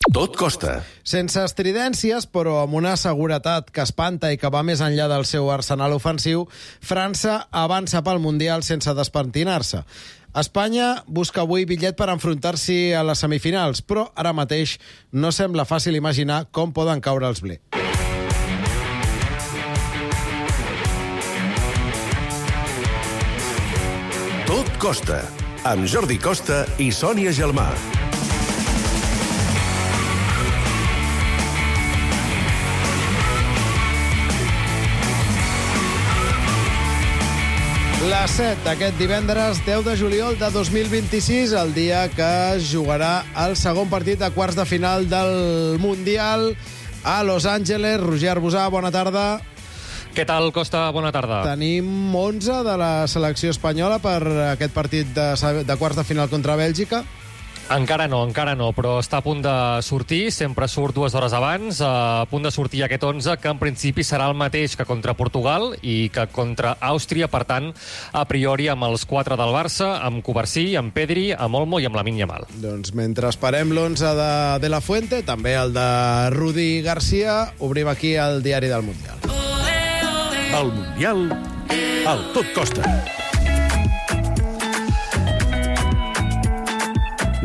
Tot costa. Sense estridències, però amb una seguretat que espanta i que va més enllà del seu arsenal ofensiu, França avança pel Mundial sense despentinar-se. Espanya busca avui bitllet per enfrontar-s'hi a les semifinals, però ara mateix no sembla fàcil imaginar com poden caure els Bleus. Tot costa. Amb Jordi Costa i Sònia Gelmà. Les 7 d'aquest divendres 10 de juliol de 2026, el dia que es jugarà el segon partit de quarts de final del Mundial a Los Angeles. Roger Arbusà, bona tarda. Què tal, Costa? Bona tarda. Tenim 11 de la selecció espanyola per aquest partit de quarts de final contra Bèlgica. Encara no, però està a punt de sortir, sempre surt 2 hores abans, a punt de sortir aquest 11, que en principi serà el mateix que contra Portugal i que contra Àustria, per tant, a priori amb els 4 del Barça, amb Covarsí, amb Pedri, amb Olmo i amb Lamine Yamal. Doncs mentre esperem l'11 de la Fuente, també el de Rudi Garcia, obrim aquí el diari del Mundial. El Mundial al Tot Costa.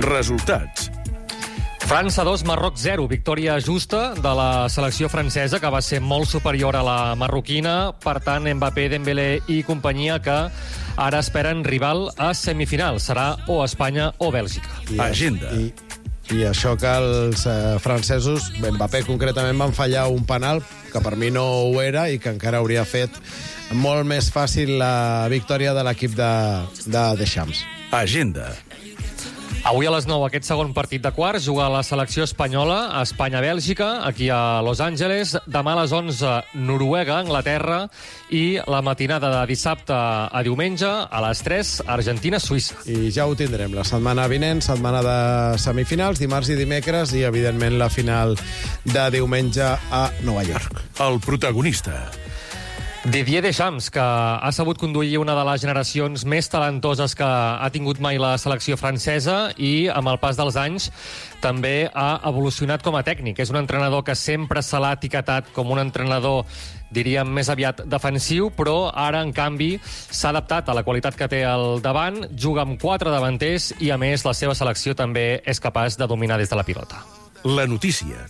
Resultats. França 2, Marroc 0. Victòria justa de la selecció francesa, que va ser molt superior a la marroquina. Per tant, Mbappé, Dembélé i companyia, que ara esperen rival a semifinals. Serà o Espanya o Bèlgica. Agenda. I això que els francesos, Mbappé concretament, van fallar un penal que per mi no ho era i que encara hauria fet molt més fàcil la victòria de l'equip de Deschamps. Agenda. Avui a les 9, aquest segon partit de quarts, juga la selecció espanyola, Espanya-Bèlgica, aquí a Los Angeles. Demà a les 11, Noruega, Anglaterra. I la matinada de dissabte a diumenge, a les 3, Argentina-Suïssa. I ja ho tindrem la setmana vinent, setmana de semifinals, dimarts i dimecres, i evidentment la final de diumenge a Nova York. El protagonista. Didier Deschamps, que ha sabut conduir una de les generacions més talentoses que ha tingut mai la selecció francesa i, amb el pas dels anys, també ha evolucionat com a tècnic. És un entrenador que sempre se l'ha etiquetat com un entrenador, diríem, més aviat defensiu, però ara, en canvi, s'ha adaptat a la qualitat que té al davant, juga amb 4 davanters i, a més, la seva selecció també és capaç de dominar des de la pilota. La notícia.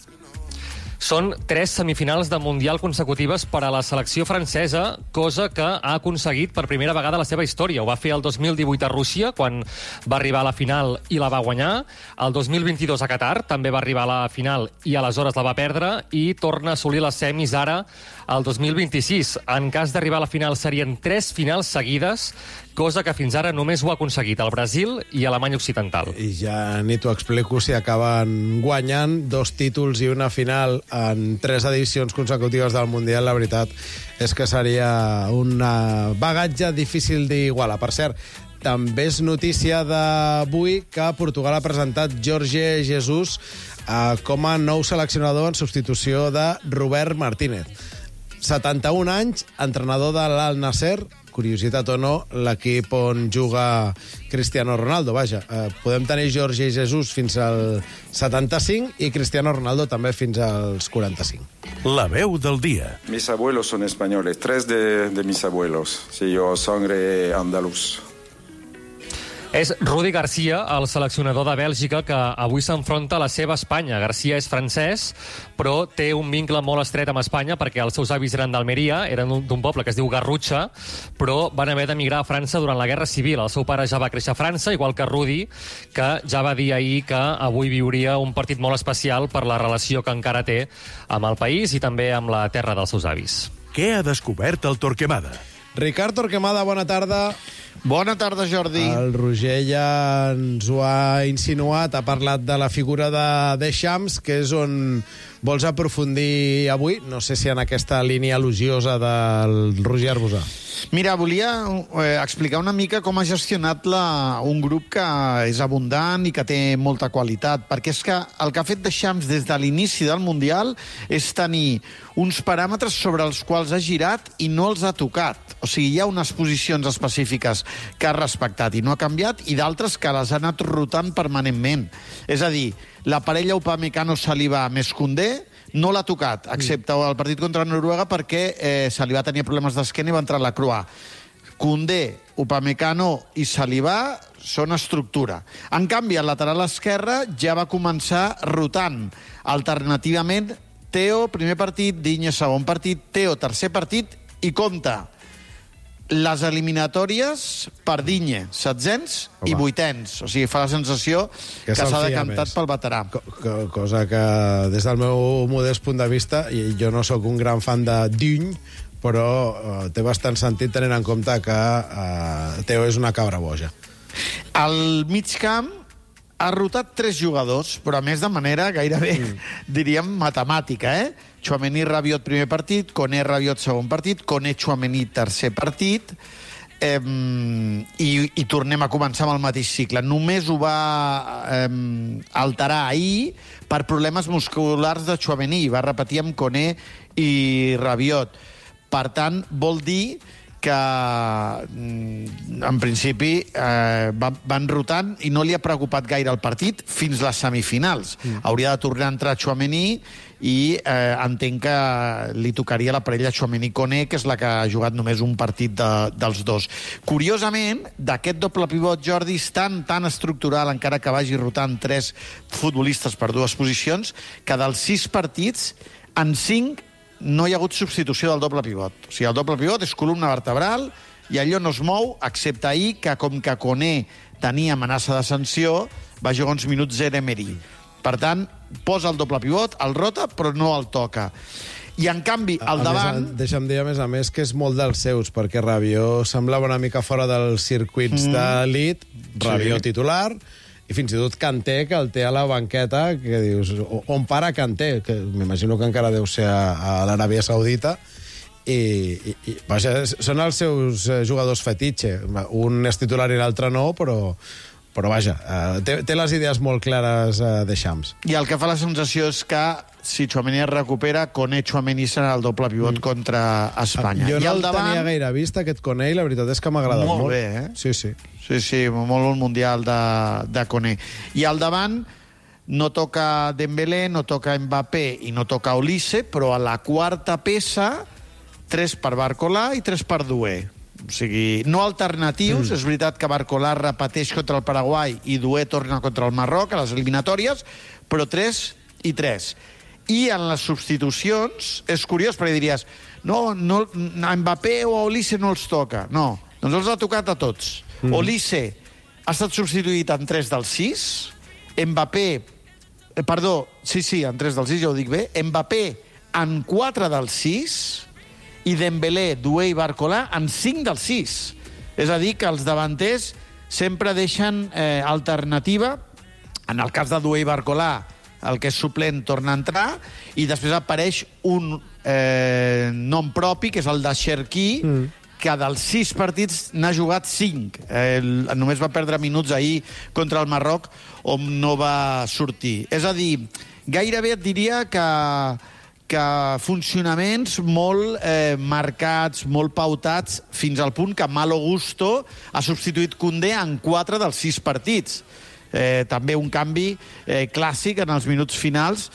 Són 3 semifinals de Mundial consecutives per a la selecció francesa, cosa que ha aconseguit per primera vegada a la seva història. Ho va fer el 2018 a Rússia, quan va arribar a la final i la va guanyar. El 2022 a Qatar també va arribar a la final i aleshores la va perdre, i torna a assolir les semis ara el 2026. En cas d'arribar a la final serien 3 finals seguides, cosa que fins ara només ho ha aconseguit el Brasil i Alemanya Occidental. I ja ni t'ho explico si acaben guanyant 2 títols i una final en 3 edicions consecutives del Mundial. La veritat és que seria un bagatge difícil d'igualar. Per cert, també és notícia d'avui que Portugal ha presentat Jorge Jesus com a nou seleccionador en substitució de Robert Martínez. 71 anys, entrenador de l'Al-Nasser, curiositat o no, l'equip on juga Cristiano Ronaldo. Vaja, podem tenir Jorge Jesus fins al 75 i Cristiano Ronaldo també fins als 45. La veu del dia. Mis abuelos son españoles, 3 de mis abuelos. Sí, yo sangre andaluz. És Rudi Garcia, el seleccionador de Bèlgica, que avui s'enfronta a la seva Espanya. Garcia és francès, però té un vincle molt estret amb Espanya perquè els seus avis eren d'Almeria, eren d'un poble que es diu Garrutxa, però van haver d'emigrar a França durant la Guerra Civil. El seu pare ja va créixer a França, igual que Rudi, que ja va dir ahir que avui viuria un partit molt especial per la relació que encara té amb el país i també amb la terra dels seus avis. Què ha descobert el Torquemada? Ricard Torquemada, bona tarda. Bona tarda, Jordi. El Roger ja ens ho ha insinuat, ha parlat de la figura de Deschamps, que és on vols aprofundir avui. No sé si en aquesta línia elogiosa del Roger Arbusà. Mira, volia explicar una mica com ha gestionat un grup que és abundant i que té molta qualitat, perquè és que el que ha fet Deschamps des de l'inici del Mundial és tenir uns paràmetres sobre els quals ha girat i no els ha tocat. O sigui, hi ha unes posicions específiques que ha respectat i no ha canviat, i d'altres que les ha anat rotant permanentment. És a dir, la parella Upamecano-Saliba més Koundé no l'ha tocat, excepte el partit contra Noruega, perquè Saliba tenia problemes d'esquena i va entrar a la Croix. Koundé, Upamecano i Saliba són estructura. En canvi, al lateral esquerre ja va començar rotant. Alternativament, Theo, primer partit, Digne, segon partit, Theo, tercer partit, i compta, les eliminatòries per Digne, setzents i vuitens. O sigui, fa la sensació que s'ha decantat pel veterà. Cosa que, des del meu modest punt de vista, i jo no sóc un gran fan de Digne, però té bastant sentit tenint en compte que Theo és una cabra boja. Al mig camp ha rotat 3 jugadors, però a més de manera gairebé, diríem, matemàtica, Tchouaméni, Rabiot, primer partit, Koné, Rabiot, segon partit, Koné, Tchouaméni, tercer partit, i tornem a començar amb el mateix cicle. Només ho va alterar ahir per problemes musculars de Tchouaméni. Va repetir amb Koné i Rabiot. Per tant, vol dir que, en principi, van rotant i no li ha preocupat gaire el partit fins les semifinals. Hauria de tornar a entrar Tchouaméni i entenc que li tocaria la parella Tchouaméni-Koné, que és la que ha jugat només un partit dels dos. Curiosament, d'aquest doble pivot, Jordi, és tan estructural, encara que vagi rotant 3 futbolistes per 2 posicions, que dels 6 partits, en 5 no hi ha hagut substitució del doble pivot. O sigui, el doble pivot és columna vertebral i allò no es mou, excepte ahir, que com que Koné tenia amenaça de sanció, va jugar uns minuts Emery. Per tant, posa el doble pivot, el rota, però no el toca. I, en canvi, al davant... Deixa'm dir, a més, que és molt dels seus, perquè Rabiot semblava una mica fora dels circuits d'elit, Rabiot titular, i fins i tot Kanté, que el té a la banqueta, que dius, on para Kanté? Que m'imagino que encara deu ser a l'Aràbia Saudita, i vaja, són els seus jugadors fetitxe. Un és titular i l'altre no, però vaja, té les idees molt clares de Xams. I el que fa la sensació és que si Tchouaméni es recupera, Koné Tchouaméni serà el doble pivot contra Espanya. Jo no el tenia gaire vist, aquest Koné, i la veritat és que m'ha agradat molt. Molt bé, Sí. Sí, molt el mundial de Koné. I al davant no toca Dembélé, no toca Mbappé i no toca Olise, però a la quarta peça, 3 per Barcola i 3 per Doué. O sigui, no alternatius. És veritat que Barcola repeteix contra el Paraguai i Doué torna contra el Marroc a les eliminatòries, però 3 i 3. I en les substitucions és curiós, perquè diries no, a Mbappé o a Olise no els toca. No, doncs els ha tocat a tots. Olise ha estat substituït en 3 dels 6, Mbappé, en 3 dels 6, ja ho dic bé, Mbappé en 4 dels 6, i Dembélé, Doué i Barcola en 5 dels 6. És a dir, que els davanters sempre deixen alternativa. En el cas de Doué i Barcola, el que és suplent torna a entrar, i després apareix un nom propi, que és el de Cherki, que dels 6 partits n'ha jugat 5. Només va perdre minuts ahir contra el Marroc, on no va sortir. És a dir, gairebé et diria que funcionaments molt marcats, molt pautats, fins al punt que Malo Gusto ha substituït Koundé en 4 dels 6 partits. També un canvi clàssic en els minuts finals.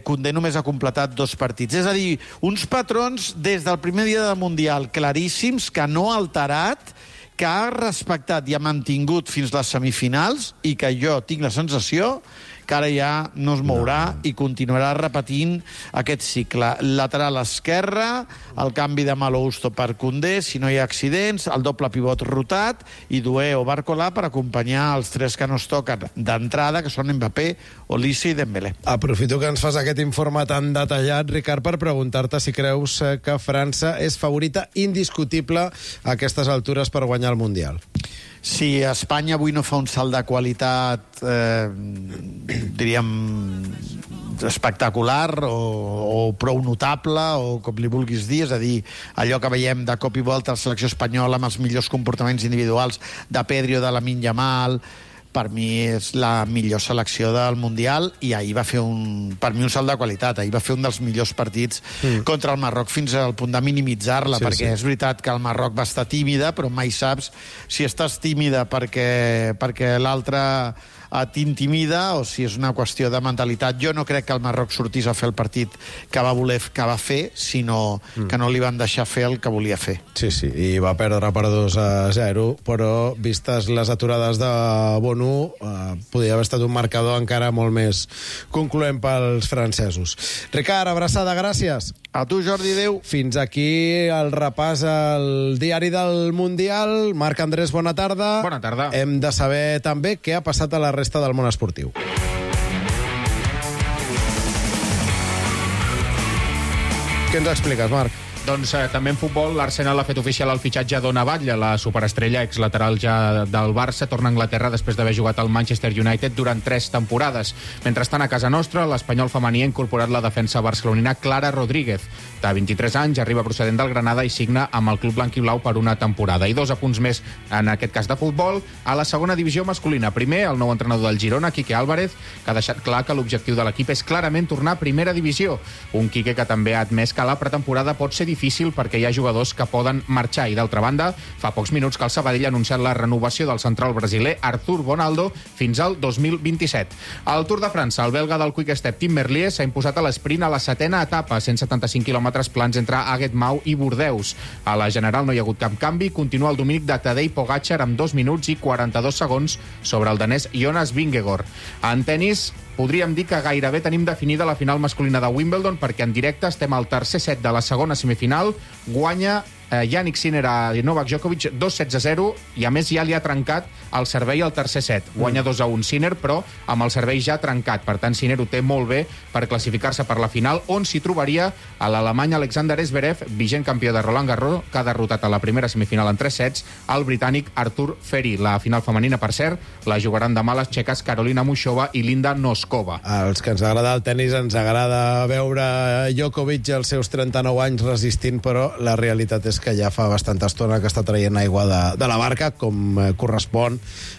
Koundé només ha completat 2 partits. És a dir, uns patrons des del primer dia del Mundial claríssims, que no ha alterat, que ha respectat i ha mantingut fins les semifinals, i que jo tinc la sensació que ara ja no es mourà i continuarà repetint aquest cicle. Lateral esquerre, el canvi de Malo Gusto per Koundé, si no hi ha accidents, el doble pivot rotat, i Doué o Barcola per acompanyar els 3 que no es toquen d'entrada, que són Mbappé, Olise i Dembélé. Aprofito que ens fas aquest informe tan detallat, Ricard, per preguntar-te si creus que França és favorita indiscutible a aquestes altures per guanyar el Mundial. Si Espanya avui no fa un salt de qualitat, diríem, espectacular o prou notable, o com li vulguis dir, és a dir, allò que veiem de cop i volta a la selecció espanyola amb els millors comportaments individuals de Pedri o de Lamine Yamal, per mi és la millor selecció del Mundial i ahir va fer per mi un salt de qualitat. Ahir va fer un dels millors partits contra el Marroc fins al punt de minimitzar-la, perquè és veritat que el Marroc va estar tímida, però mai saps si estàs tímida perquè l'altre t'intimida o si és una qüestió de mentalitat. Jo no crec que el Marroc sortís a fer el partit que va fer, sinó que no li van deixar fer el que volia fer. Sí, i va perdre per 2-0, però vistes les aturades de Bonu, podria haver estat un marcador encara molt més concloent pels francesos. Ricard, abraçada, gràcies. A tu, Jordi, adéu. Fins aquí el repàs al diari del Mundial. Marc Andrés, bona tarda. Bona tarda. Hem de saber també què ha passat a la resta del món esportiu. Què ens expliques, Marc? Doncs també en futbol, l'Arsenal ha fet oficial el fitxatge d'Ona Batlle, la superestrella exlateral ja del Barça, torna a Anglaterra després d'haver jugat al Manchester United durant 3 temporades. Mentrestant, a casa nostra, l'Espanyol femení ha incorporat la defensa barcelonina Clara Rodríguez. De 23 anys, arriba procedent del Granada i signa amb el club blanquiblau per una temporada. I 2 apunts més, en aquest cas de futbol, a la segona divisió masculina. Primer, el nou entrenador del Girona, Quique Álvarez, que ha deixat clar que l'objectiu de l'equip és clarament tornar a primera divisió. Un Quique que també ha admès que la pretemporada pot ser difícil perquè hi ha jugadors que poden marxar. I d'altra banda, fa pocs minuts que el Sabadell ha anunciat la renovació del central brasiler Arthur Bonaldo fins al 2027. Al Tour de França, el belga del Quick Step Tim Merlier s'ha imposat a l'esprint a la 7ª etapa, 175 quilòmetres plans entre Aguet-Mau i Bordeus. A la general no hi ha hagut cap canvi, continua el dominic de Tadej Pogačar amb 2 minuts i 42 segons sobre el danès Jonas Vingegaard. En tenis, podríem dir que gairebé tenim definida la final masculina de Wimbledon, perquè en directe estem al tercer set de la segona semifinal. Guanya Jannik Sinner a Novak Djokovic 2-16-0 i a més ja li ha trencat el servei al tercer set. Guanya 2-1 Sinner, però amb el servei ja trencat. Per tant, Sinner ho té molt bé per classificar-se per la final, on s'hi trobaria a l'alemany Alexander Zverev, vigent campió de Roland Garros, que ha derrotat a la primera semifinal en 3 sets el britànic Artur Feri. La final femenina, per cert, la jugaran demà les txeques Karolina Mušova i Linda Noskova. Els que ens agrada el tenis, ens agrada veure Djokovic als seus 39 anys resistint, però la realitat és que ja fa bastanta estona que està traient aigua de la barca, com correspon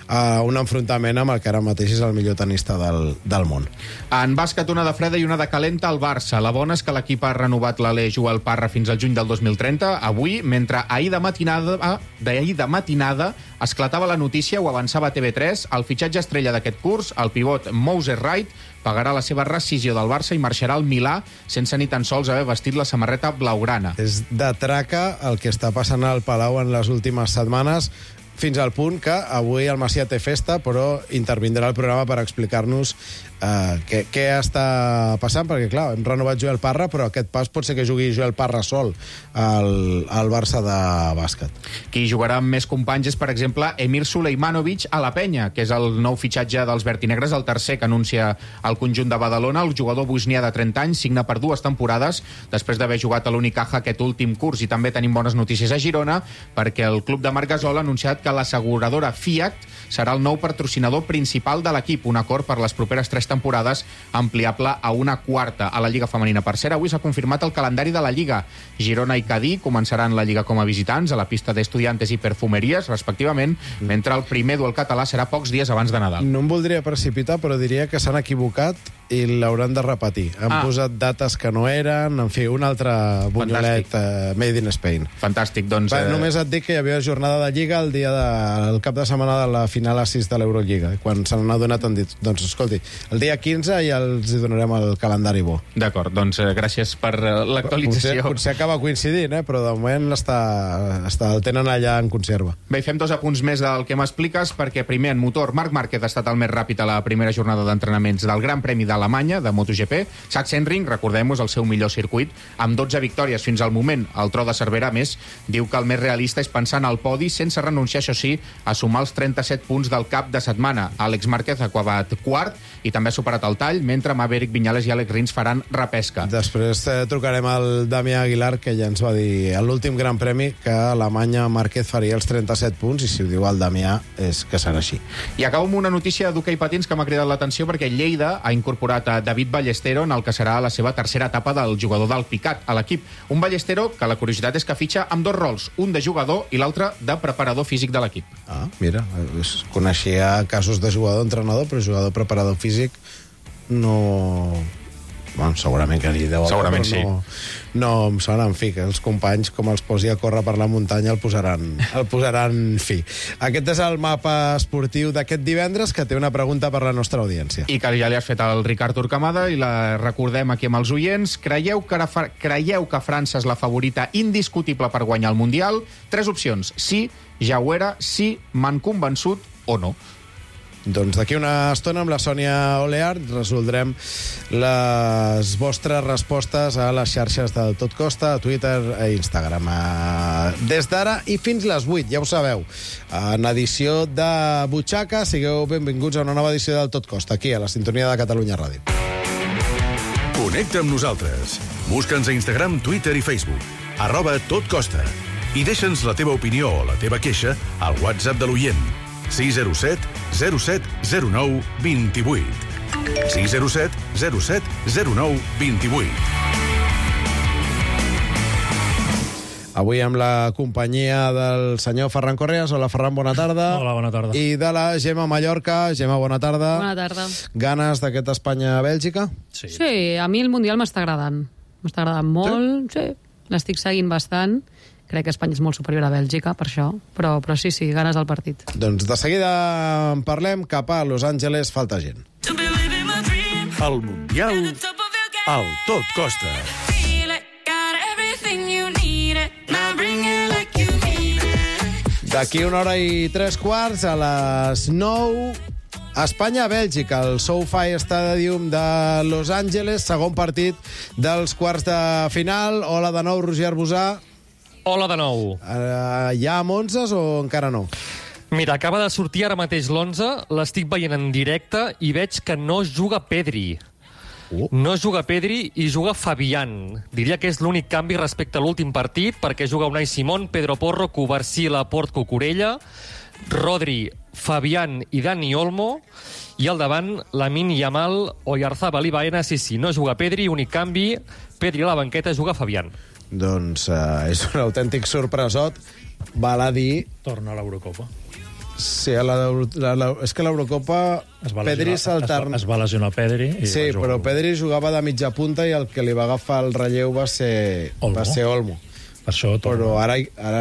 a un enfrontament amb el que ara mateix és el millor tenista del món. En bàsquet, una de freda i una de calenta al Barça. La bona és que l'equip ha renovat l'Alé Joel Parra fins al juny del 2030. Avui, mentre ahir de matinada esclatava la notícia, ho avançava TV3, el fitxatge estrella d'aquest curs, el pivot Moses Wright, pagarà la seva rescisió del Barça i marxarà al Milà sense ni tan sols haver vestit la samarreta blaugrana. És de traca el que està passant al Palau en les últimes setmanes, fins al punt que avui el Macià té festa, però intervindrà al programa per explicar-nos què està passant, perquè, clar, hem renovat Joel Parra, però aquest pas pot ser que jugui Joel Parra sol al Barça de bàsquet. Qui jugarà amb més companys és, per exemple, Emir Suleimanovic a la Penya, que és el nou fitxatge dels vertinegres, el tercer que anuncia el conjunt de Badalona. El jugador bosnià de 30 anys signa per 2 temporades després d'haver jugat a l'Unicaja aquest últim curs. I també tenim bones notícies a Girona, perquè el club de Marc Gasol ha anunciat que l'asseguradora Fiat serà el nou patrocinador principal de l'equip, un acord per les properes 3 temporades ampliable a una quarta. A la Lliga Femenina, per cert, avui s'ha confirmat el calendari de la Lliga. Girona i Cadí començaran la Lliga com a visitants a la pista d'Estudiantes i Perfumeries, respectivament, mentre el primer duel català serà pocs dies abans de Nadal. No em voldria precipitar, però diria que s'han equivocat i l'hauran de repetir. Han posat dates que no eren, en fi, un altre bunyolet made in Spain. Fantàstic, doncs... Només et dic que hi havia jornada de Lliga el cap de setmana de la final a 6 de l'Eurolliga. Quan se n'han adonat han dit, doncs escolti, el dia 15 ja els donarem el calendari bo. D'acord, doncs gràcies per l'actualització. Potser acaba coincidint, però de moment el tenen allà en conserva. Bé, fem 2 apunts més del que m'expliques, perquè primer en motor, Marc Márquez ha estat el més ràpid a la primera jornada d'entrenaments del Gran Premi d'Alemanya, de MotoGP. Sachsenring, recordem-ho, és el seu millor circuit, amb 12 victòries fins al moment. El tro de Cervera, més, diu que el més realista és pensar en el podi, sense renunciar, això sí, a sumar els 37 punts del cap de setmana. Àlex Márquez ha acabat quart i també ha superat el tall, mentre Maverick Viñales i Alex Rins faran repesca. Després trucarem al Damià Aguilar, que ja ens va dir a l'últim Gran Premi que a Alemanya Márquez faria els 37 punts, i si ho diu el Damià és que serà així. I acabo amb una notícia d'hoquei patins que m'ha cridat l'atenció, perquè Lleida ha incorporat a David Ballestero en el que serà la seva tercera etapa del jugador del Picat a l'equip. Un Ballestero que la curiositat és que fitxa amb 2 rols, un de jugador i l'altre de preparador físic de l'equip. Ah, mira, coneixia casos de jugador-entrenador, però jugador-preparador físic no... Bueno, segurament que n'hi deu haver, Segurament sí. No em sona, en fi, que els companys, com els posi a córrer per la muntanya, el posaran fi. Aquest és el mapa esportiu d'aquest divendres, que té una pregunta per la nostra audiència. I que ja li has fet al Ricard Turcamada i la recordem aquí amb els oients. Creieu que França és la favorita indiscutible per guanyar el Mundial? 3 opcions. Sí, ja ho era, sí, m'han convençut o no. Doncs d'aquí una estona amb la Sònia Oleart resoldrem les vostres respostes a les xarxes del Tot Costa, a Twitter i Instagram. Des d'ara i fins les 8, ja ho sabeu. En edició de Butxaca, sigueu benvinguts a una nova edició del Tot Costa, aquí, a la sintonia de Catalunya Ràdio. Connecta amb nosaltres. Busca'ns a Instagram, Twitter i Facebook. @totcosta. I deixa'ns la teva opinió o la teva queixa al WhatsApp de l'oient. 607 07 09 28. 607 07 09 28. Avui amb la companyia del senyor Ferran Correas. Hola, Ferran, bona tarda. Hola, bona tarda. I de la Gemma Mallorca. Gemma, bona tarda. Bona tarda. Ganes d'aquest Espanya-Bèlgica? Sí, a mi el Mundial m'està agradant. M'està agradant molt, sí. L'estic seguint bastant. Crec que Espanya és molt superior a Bèlgica, per això. Però sí, ganes del partit. Doncs de seguida en parlem. Cap a Los Angeles falta gent. El Mundial al Tot Costa. D'aquí 1 hora i 3/4, a les 9, Espanya-Bèlgica, el SoFi Stadium de Los Angeles, segon partit dels quarts de final. Hola de nou, Roger Arbusà. Hola de nou. Hi ha 11 o encara no? Mira, acaba de sortir ara mateix l'11, l'estic veient en directe i veig que no juga Pedri. No juga Pedri i juga Fabián. Diria que és l'únic canvi respecte a l'últim partit, perquè juga Unai Simón, Pedro Porro, Covarsí, Laporte, Cucurella, Rodri, Fabián i Dani Olmo, i al davant Lamine Yamal, Oyarzabal i Baena. Sí, no juga Pedri, únic canvi, Pedri a la banqueta, juga Fabián. Doncs és un autèntic sorpresot. Val a dir... Torna a l'Eurocopa. Sí, és que l'Eurocopa Pedri s'alterna. Es va lesionar Pedri. Sí, però Pedri jugava de mitja punta i el que li va agafar el relleu va ser Olmo. Per això però ara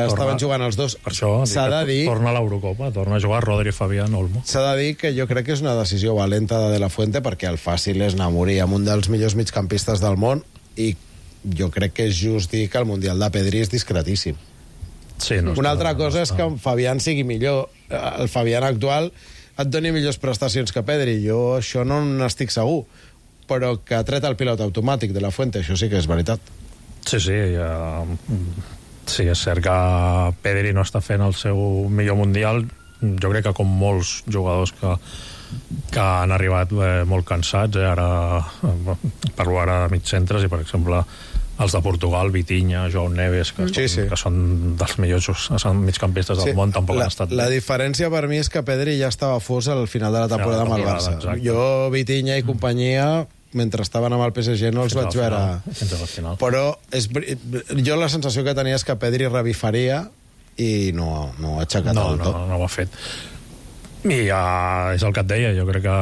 estaven jugant els dos. Per això s'ha de dir... Torna a l'Eurocopa, torna a jugar Rodri, Fabián, Olmo. S'ha de dir que jo crec que és una decisió valenta de la Fuente, perquè el fàcil és anar a morir amb un dels millors migcampistes del món, i jo crec que és just dir que el Mundial de Pedri és discretíssim. Sí, una altra cosa és que en Fabián sigui millor. El Fabián actual et doni millors prestacions que Pedri. Jo això no n'estic segur. Però que ha tret el pilot automàtic de la Fuente, això sí que és veritat. Sí, és cert que Pedri no està fent el seu millor Mundial. Jo crec que com molts jugadors que han arribat molt cansats, ara parlo ara de mitcentres, i per exemple els de Portugal, Vitinha, João Neves, que són dels millors migcampistes del món, tampoc han estat... La diferència per mi és que Pedri ja estava fos al final de la temporada amb el Barça. Exacte. Jo, Vitinha i companyia, mentre estaven amb el PSG, no els vaig veure... Però jo la sensació que tenia és que Pedri revifaria i no ha aixecat el tot. No ho ha fet. I és el que et deia, jo crec que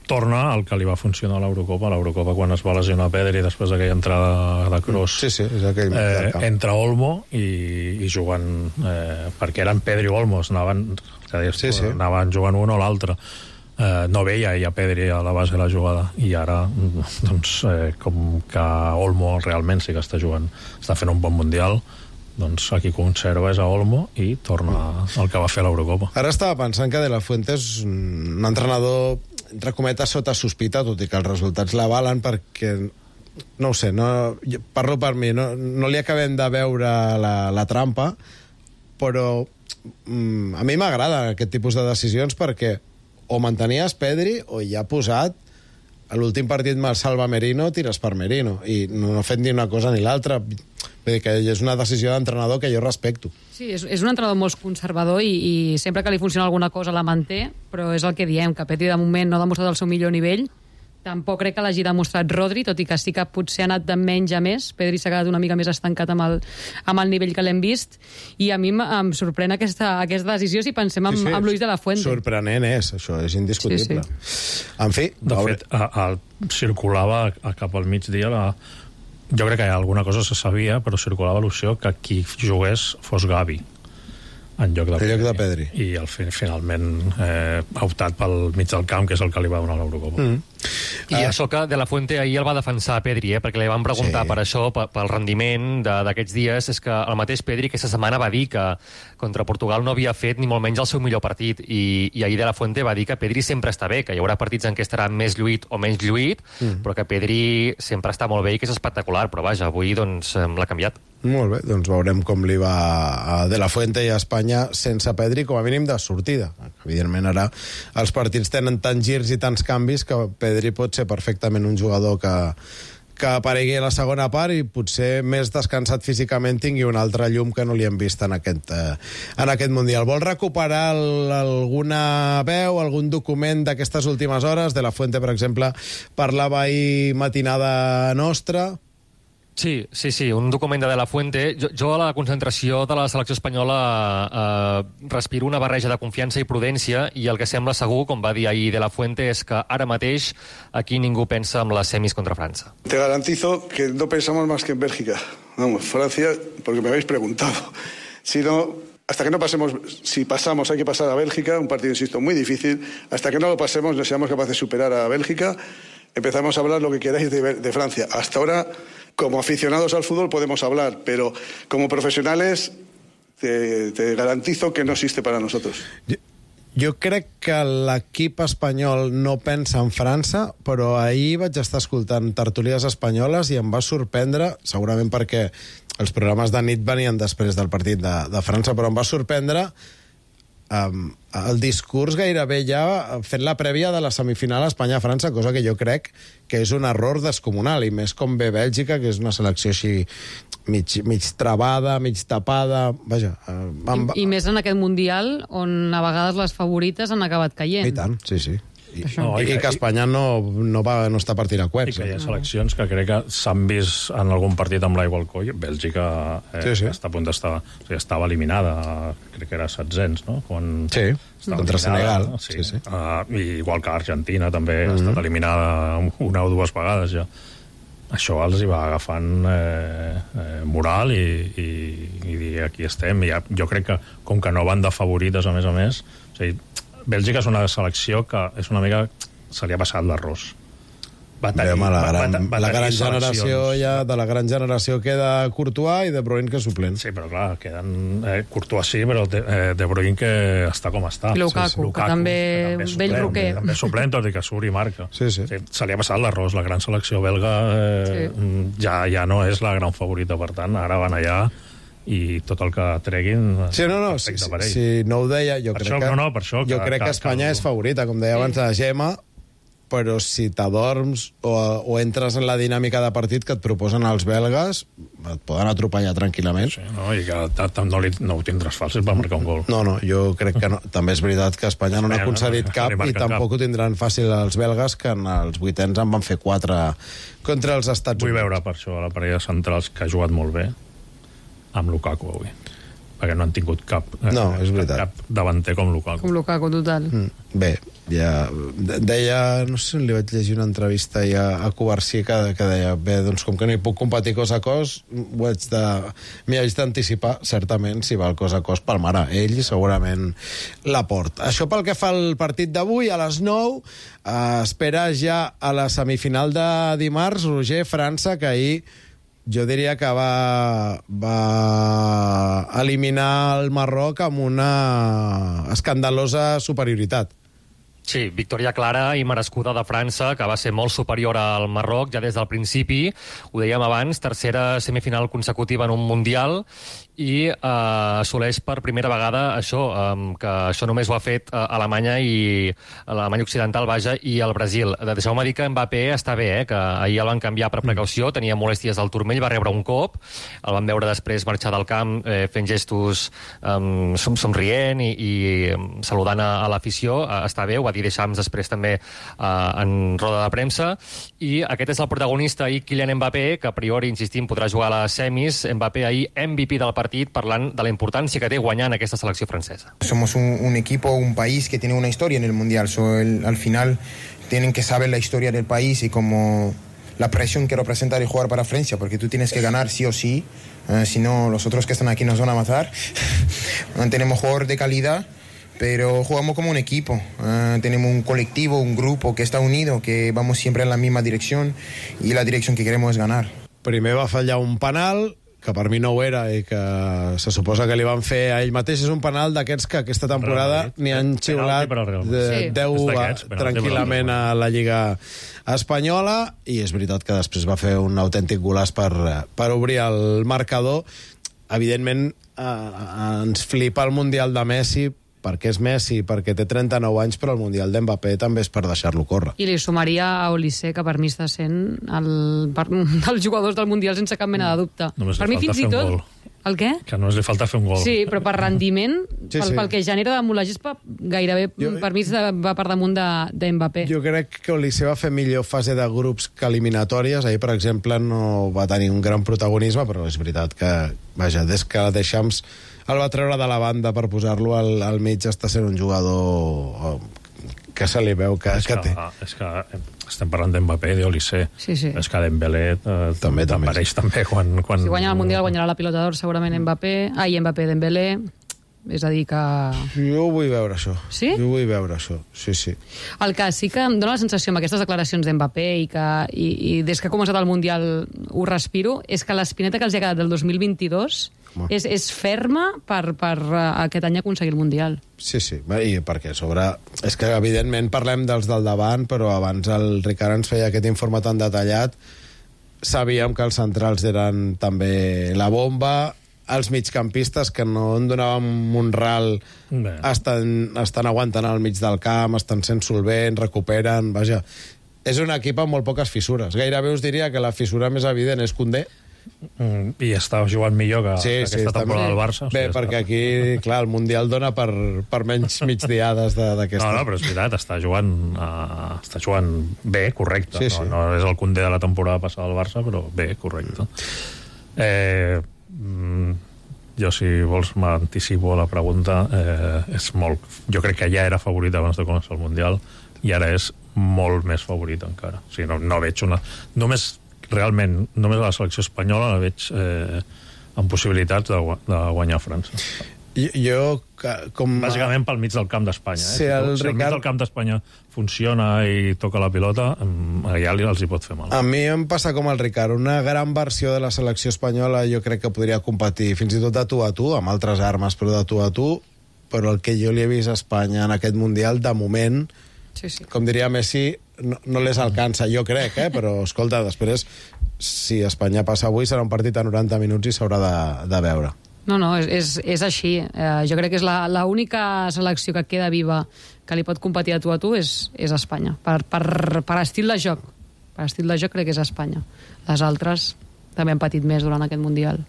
torna el que li va funcionar a l'Eurocopa. L'Eurocopa, quan es va lesionar Pedri després d'aquella entrada de Kroos, és aquell entra Olmo i juguen, perquè eren Pedri o Olmo, anaven jugant un o l'altre. No veia ja Pedri a la base de la jugada, i ara doncs, com que Olmo realment sí que està jugant, està fent un bon Mundial, doncs aquí conserva és a Olmo i torna el que va fer a l'Eurocopa. Ara estava pensant que De La Fuente és un entrenador, entre cometes, sota sospita, tot i que els resultats l'avalen, perquè no ho sé, parlo per mi, no li acabem de veure la trampa, però a mi m'agrada aquest tipus de decisions, perquè o mantenies Pedri o ja ha posat a l'últim partit me'l salva Merino, tires per Merino, i no ha fet ni una cosa ni l'altra. Vull dir que és una decisió d'entrenador que jo respecto. Sí, és un entrenador molt conservador i sempre que li funciona alguna cosa la manté, però és el que diem, que Pedri de moment no ha demostrat el seu millor nivell, Tampoc crec que l'hagi demostrat Rodri, tot i que sí que potser ha anat de menys a més. Pedri s'ha quedat una mica més estancat amb el nivell que l'hem vist, i a mi em sorprèn aquesta decisió si pensem amb Luis de la Fuente. Sorprenent és, això és indiscutible. En fi... De fet, circulava cap al migdia, jo crec que alguna cosa se sabia, però circulava l'opció que qui jugués fos Gavi en lloc de Pedri. I finalment ha optat pel mig del camp, que és el que li va donar l'Eurocopa. I això que De La Fuente ahir el va defensar a Pedri, perquè li van preguntar per això, pel rendiment d'aquests dies. És que el mateix Pedri aquesta setmana va dir que contra Portugal no havia fet ni molt menys el seu millor partit, i ahir De La Fuente va dir que Pedri sempre està bé, que hi haurà partits en què estarà més lluït o menys lluït, però que Pedri sempre està molt bé i que és espectacular, però vaja, avui doncs l'ha canviat. Molt bé, doncs veurem com li va a De La Fuente i a Espanya sense Pedri, com a mínim de sortida. Evidentment ara els partits tenen tants girs i tants canvis que Pedri pot ser perfectament un jugador que aparegui a la segona part i potser més descansat físicament tingui una altra llum que no li hem vist en aquest Mundial. Vol recuperar alguna veu, algun document d'aquestes últimes hores? De La Fuente, per exemple, parlava ahir matinada nostra. Sí, un document de La Fuente. Jo a la concentració de la selecció espanyola respiro una barreja de confiança i prudència, i el que sembla segur, com va dir ahir De La Fuente, és que ara mateix aquí ningú pensa en les semis contra França. Te garantizo que no pensamos más que en Bélgica. Vamos, Francia, porque me habéis preguntado. Si no, hasta que no pasemos, si pasamos hay que pasar a Bélgica, un partido, insisto, muy difícil. Hasta que no lo pasemos, no seamos capaces de superar a Bélgica, empezamos a hablar lo que queráis de Francia. Hasta ahora, como aficionados al fútbol podemos hablar, pero como profesionales te garantizo que no existe para nosotros. Jo crec que l'equip espanyol no pensa en França, però ahir vaig estar escoltant tertúlies espanyoles i em va sorprendre, segurament perquè els programes de nit venien després del partit de França, però em va sorprendre el discurs gairebé ja fent la prèvia de la semifinal Espanya-França, cosa que jo crec que és un error descomunal, i més com ve Bèlgica, que és una selecció així mig travada, mig tapada, vaja. I més en aquest Mundial on a vegades les favorites han acabat caient. I tant, sí. I que Espanya no està per tirar coets. I que hi ha seleccions que crec que s'han vist en algun partit amb l'aigua al coll. Bèlgica està a punt d'estar... O sigui, estava eliminada, crec que era 700, no? Contra Senegal. Sí. Igual que Argentina també ha estat eliminada una o dues vegades ja. Això els hi va agafant moral i aquí estem. Jo crec que, com que no van de favorites, a més, o sigui, Bèlgica és una selecció que és una mica... se li ha passat l'arròs. La gran generació ja, de la gran generació queda Courtois i De Bruyne, que és suplent. Sí, però clar, queden Courtois sí, però De Bruyne que està com està. Lukaku, que també vell roquer. També suplent, tot i que surt i marca. Sí. Se li ha passat l'arròs. La gran selecció belga ja no és la gran favorita, per tant, ara van allà i tot el que treguin perfecte per ell. Si no ho deia, jo crec que Espanya és favorita, com deia abans la Gemma, però si t'adorms o entres en la dinàmica de partit que et proposen els belgues, et poden atropellar tranquil·lament. Sí, i que no ho tindràs fàcil per marcar un gol. No, jo crec que no. També és veritat que Espanya no n'ha concedit cap i tampoc ho tindran fàcil els belgues, que en els vuitens en van fer 4 contra els Estats Units. Vull veure per això la parella centrals, que ha jugat molt bé amb Lukaku avui, perquè no han tingut cap davanter com Lukaku. Com Lukaku, total. Bé, ja deia, no sé on li vaig llegir una entrevista ja a Covarsí que deia, bé, doncs com que no hi puc competir cos a cos, m'hi haig d'anticipar, certament, si va el cos a cos pel mare. Ell segurament la porta. Això pel que fa al partit d'avui, a les 9, espera ja a la semifinal de dimarts, Roger, França, que ahir jo diria que va eliminar el Marroc amb una escandalosa superioritat. Sí, victòria clara i merescuda de França, que va ser molt superior al Marroc ja des del principi. Ho dèiem abans, tercera semifinal consecutiva en un Mundial, i assoleix per primera vegada això, que això només ho ha fet Alemanya i l'Alemanya Occidental, vaja, i el Brasil. Deixeu-me dir que Mbappé està bé, que ahir el van canviar per precaució, tenia molèsties al turmell, va rebre un cop, el van veure després marxar del camp fent gestos somrient i saludant a l'afició. Està bé, ho va dir Didier Deschamps després també en roda de premsa, i aquest és el protagonista ahir, Kylian Mbappé, que a priori, insistim, podrà jugar a les semis. Mbappé ahir MVP del partit, parlant de la importància que té guanyar en aquesta selecció francesa. Somos un equipo, un país que tiene una historia en el Mundial. Al final tienen que saber la historia del país y como la presión que representa el jugar para Francia, porque tú tienes que ganar sí o sí, si no los otros que están aquí nos van a matar. Tenemos jugadores de calidad, pero jugamos como un equipo. Tenemos un colectivo, un grupo que está unido, que vamos siempre en la misma dirección y la dirección que queremos es ganar. Primer va fallar un penal, que per mi no ho era i que se suposa que li van fer a ell mateix. És un penal d'aquests que aquesta temporada n'hi han xiulat 10 tranquil·lament a la Lliga Espanyola, i és veritat que després va fer un autèntic golaç per obrir el marcador. Evidentment, ens flipa el Mundial de Messi, perquè és Messi, perquè té 39 anys, però el Mundial d'Mbappé també és per deixar-lo córrer. I li sumaria a Olise, que per mi està sent dels jugadors del Mundial sense cap mena de dubte. Només per mi fins i tot... El què? Que només li falta fer un gol. Sí, però per rendiment, pel que genera damunt la gespa, gairebé per mi va per damunt d'Mbappé. Jo crec que Olise va fer millor fase de grups que eliminatòries. Ahir, per exemple, no va tenir un gran protagonisme, però és veritat que, vaja, des que Deschamps el va treure de la banda per posar-lo al mig, està sent un jugador que se li veu que té. És que estem parlant d'Mbappé, d'Olise. Sí. És que Dembélé també apareix també quan... Si guanya el Mundial, guanyarà la Pilota d'Or segurament Mbappé, Dembélé. És a dir que... Jo ho vull veure, això. Sí? Jo ho vull veure, això. Sí. El que sí que em dóna la sensació amb aquestes declaracions d'Mbappé i des que ha començat el Mundial ho respiro, és que l'espineta que els ha quedat del 2022 és ferma per aquest any aconseguir el Mundial. Sí, i perquè a sobre... És que, evidentment, parlem dels del davant, però abans el Ricard ens feia aquest informe tan detallat. Sabíem que els centrals eren també la bomba, els migcampistes, que no en donàvem un ral, estan aguantant al mig del camp, estan sent solvents, recuperen... Vaja, és un equip amb molt poques fissures. Gairebé us diria que la fissura més evident és Koundé, i està jugant millor que aquesta temporada del Barça. Bé, perquè aquí, clar, el Mundial dona per menys migdiades d'aquesta. No, però és veritat, està jugant bé, correcte. Sí. No és el Koundé de la temporada passada del Barça, però bé, correcte. Jo, si vols, m'anticipo a la pregunta. És molt... Jo crec que ja era favorit abans de començar el Mundial i ara és molt més favorit encara. O sigui, no veig una... Realment, només a la selecció espanyola la veig amb possibilitats de guanyar França. Bàsicament pel mig del camp d'Espanya. Si el mig del camp d'Espanya funciona i toca la pilota, allà els hi pot fer mal. A mi em passa com el Ricard. Una gran versió de la selecció espanyola jo crec que podria competir fins i tot de tu a tu, amb altres armes, però de tu a tu. Però el que jo li he vist a Espanya en aquest Mundial, de moment, com diria Messi, no les alcança, jo crec, però escolta, després, si Espanya passa avui, serà un partit a 90 minuts i s'haurà de veure. No, és així. Jo crec que és l'única selecció que queda viva que li pot competir a tu és Espanya. Per estil de joc. Per estil de joc crec que és Espanya. Les altres també han patit més durant aquest Mundial.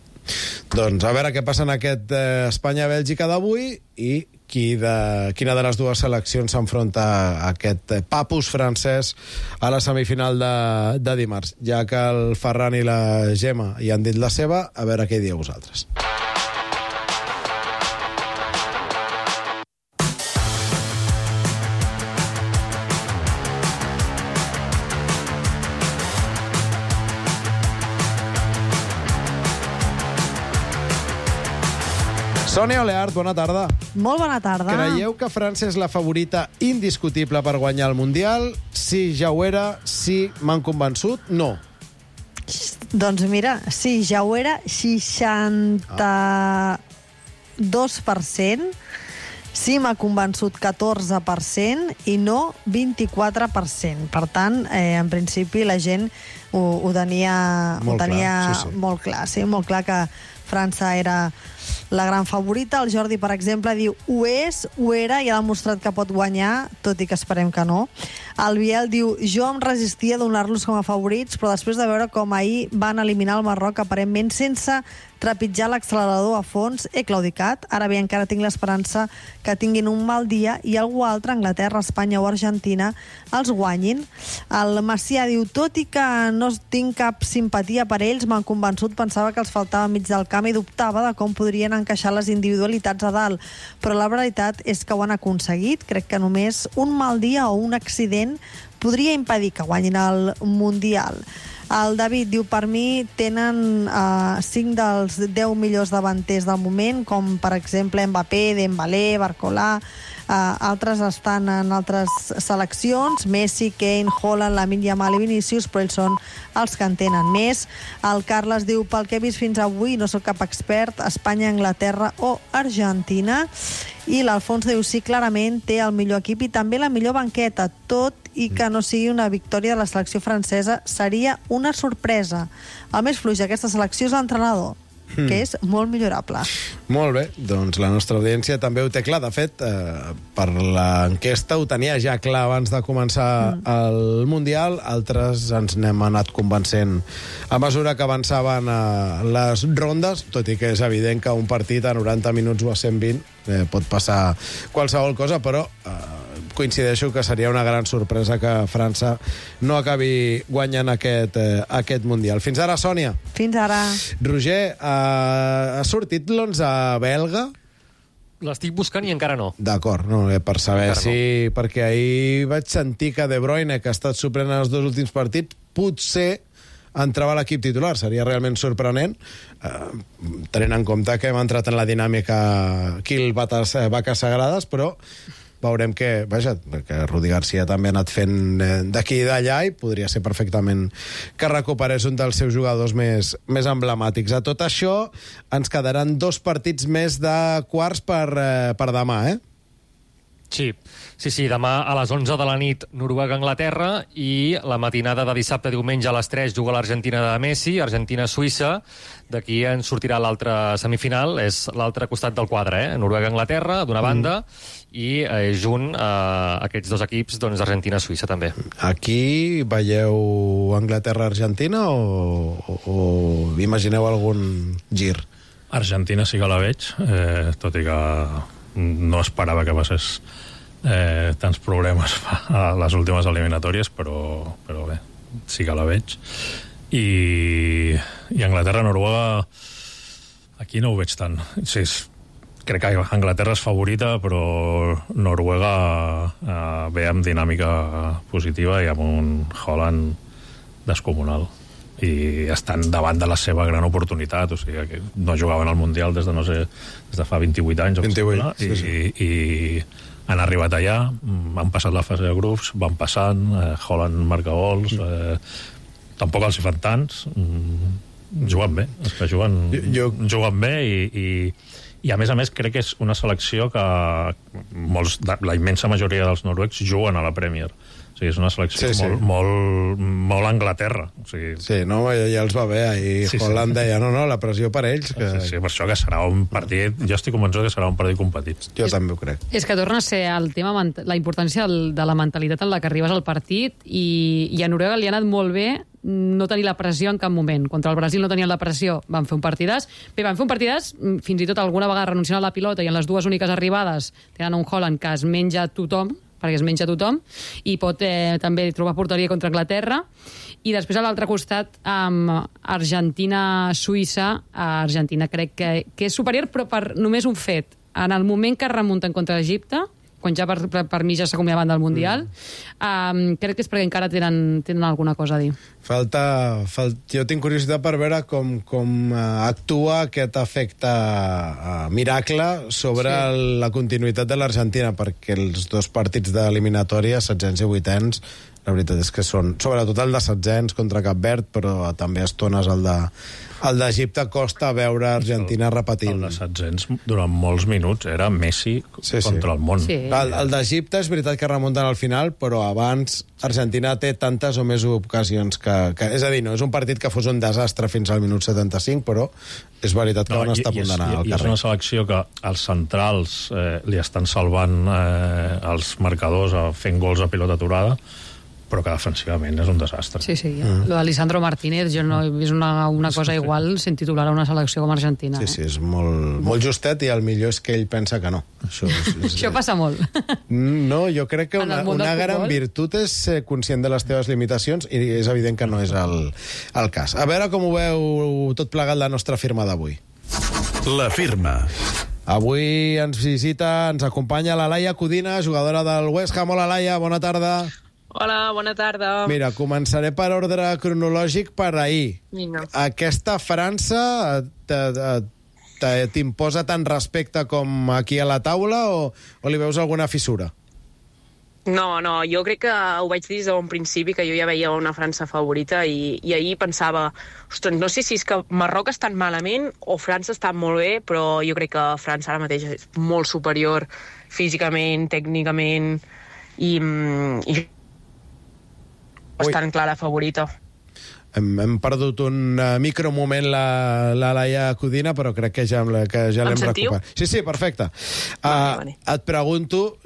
Doncs a veure què passa en aquest Espanya-Bèlgica d'avui i quina de les dues seleccions s'enfronta a aquest papus francès a la semifinal de dimarts. Ja que el Ferran i la Gemma hi han dit la seva, a veure què dieu vosaltres. Sònia Oleart, bona tarda. Molt bona tarda. Creieu que França és la favorita indiscutible per guanyar el Mundial? Sí, ja ho era. Sí, m'han convençut? No. Doncs mira, sí, ja ho era. 62%. Sí, m'ha convençut 14% i no 24%. Per tant, en principi la gent ho tenia molt clar. Sí, molt clar que França era la gran favorita. El Jordi, per exemple, diu ho és, ho era i ha demostrat que pot guanyar, tot i que esperem que no. El Biel diu jo em resistia a donar-los com a favorits, però després de veure com ahir van eliminar el Marroc aparentment sense trepitjar l'accelerador a fons, he claudicat. Ara bé, encara tinc l'esperança que tinguin un mal dia i algú altre, Anglaterra, Espanya o Argentina, els guanyin. El Macià diu, tot i que no tinc cap simpatia per ells, m'han convençut, pensava que els faltava mig del camp i dubtava de com podrien encaixar les individualitats a dalt. Però la veritat és que ho han aconseguit. Crec que només un mal dia o un accident podria impedir que guanyin el Mundial. El David diu, per mi tenen 5 dels 10 millors davanters del moment, com per exemple Mbappé, Dembélé, Barcola, altres estan en altres seleccions, Messi, Kane, Haaland, Lamine Yamal i Vinícius, però ells són els que en tenen més. El Carles diu, pel que he vist fins avui, no sóc cap expert, Espanya, Anglaterra o Argentina. I l'Alfons diu, sí, clarament té el millor equip i també la millor banqueta, tot i que no sigui una victòria de la selecció francesa, seria una sorpresa. El més fluix d'aquesta selecció és l'entrenador, que és molt millorable. Molt bé, doncs la nostra audiència també ho té clar. De fet, per l'enquesta ho tenia ja clar abans de començar el Mundial, altres ens n'hem anat convencent a mesura que avançaven les rondes, tot i que és evident que un partit a 90 minuts o a 120 pot passar qualsevol cosa, però coincideixo que seria una gran sorpresa que França no acabi guanyant aquest Mundial. Fins ara, Sònia. Fins ara. Roger, ha sortit l'11 belga? L'estic buscant i encara no. D'acord, no, per saber si... No. Perquè ahir vaig sentir que De Bruyne, que ha estat suplent en els 2 últims partits, potser entrava a l'equip titular. Seria realment sorprenent, tenint en compte que hem entrat en la dinàmica kill vaques sagrades, però veurem que, vaja, que Rudi Garcia també ha anat fent d'aquí i d'allà i podria ser perfectament que recuperés un dels seus jugadors més emblemàtics. A tot això ens quedaran 2 partits més de quarts per demà, eh? Sí, demà a les 11 de la nit Noruega-Anglaterra i la matinada de dissabte-diumenge a les 3 juga l'Argentina de Messi, Argentina-Suïssa. D'aquí en sortirà l'altra semifinal, és l'altre costat del quadre, Noruega-Anglaterra, d'una banda, i junt aquests 2 equips, doncs Argentina-Suïssa també. Aquí veieu Anglaterra-Argentina o imagineu algun gir? Argentina sí que la veig, tot i que no esperava que passés tants problemes a les últimes eliminatòries, però bé, sí que la veig. I Anglaterra-Noruega aquí no ho veig tant. Sí, crec que Anglaterra és favorita, però Noruega ve amb dinàmica positiva i amb un Haaland descomunal. I estan davant de la seva gran oportunitat, o sigui, que no jugaven al Mundial des de fa 28 anys. 28, sí. I han arribat allà, han passat la fase de grups, van passant, Haaland marca gols, tampoc els hi fan tants, juguen bé, és que juguen bé i a més crec que és una selecció que la immensa majoria dels noruecs juguen a la Premier. O sigui, és una selecció molt Anglaterra. O sigui... Sí, no, ja els va bé. I Holland deia, no, la pressió per ells. Que... Sí, per això que serà un partit... Jo estic convençut que serà un partit competit. Jo també ho crec. És que torna a ser el tema, la importància de la mentalitat en la que arribes al partit i a Noruega li ha anat molt bé no tenir la pressió en cap moment. Contra el Brasil no tenien la pressió, van fer un partidàs. Bé, van fer un partidàs, fins i tot alguna vegada renunciant a la pilota i en les 2 úniques arribades tenen un Haaland que es menja tothom, perquè es menja tothom, i pot també trobar porteria contra Anglaterra. I després a l'altre costat, amb Argentina-Suïssa, Argentina crec que és superior, però per només un fet. En el moment que remunten contra Egipte, quan ja per mi ja s'acomiadaven del Mundial, crec que és perquè encara tenen alguna cosa a dir. Jo tinc curiositat per veure com actua aquest efecte miracle sobre la continuïtat de l'Argentina, perquè els 2 partits d'eliminatòria, 700 i 800, la veritat és que són, sobretot el de 700 contra Cap Verd, però també a estones el d'Egipte, costa veure Argentina repetint. El de 700 durant molts minuts era Messi contra el món. Sí. El d'Egipte és veritat que remunten al final, però abans Argentina té tantes o més ocasions que és a dir, no és un partit que fos un desastre fins al minut 75, però és veritat que van estar a punt d'anar al carrer. I és una selecció que els centrals li estan salvant els marcadors fent gols a pilota aturada, però que defensivament és un desastre. Sí. Lo d'Alisandro Martínez, jo no he vist una cosa igual sent titular a una selecció com Argentina. Sí, és molt justet, i el millor és que ell pensa que no. Això passa molt. No, jo crec que una gran virtut és ser conscient de les teves limitacions, i és evident que no és el cas. A veure com ho veu tot plegat la nostra firma d'avui. La firma. Avui ens acompanya la Laia Codina, jugadora del West Ham. Hola, Laia, bona tarda. Hola, bona tarda. Mira, començaré per ordre cronològic per ahir. Vinga. Aquesta França t'imposa tant respecte com aquí a la taula, o li veus alguna fissura? No, jo crec que ho vaig dir des d'un principi, que jo ja veia una França favorita, i ahir pensava, ostres, no sé si és que Marroc està malament o França està molt bé, però jo crec que França ara mateix és molt superior físicament, tècnicament, i bastant clara favorita. Hem perdut un micromoment la Laia Codina, però crec que ja l'hem recuperat. Sí, perfecte. Vale. Et pregunto,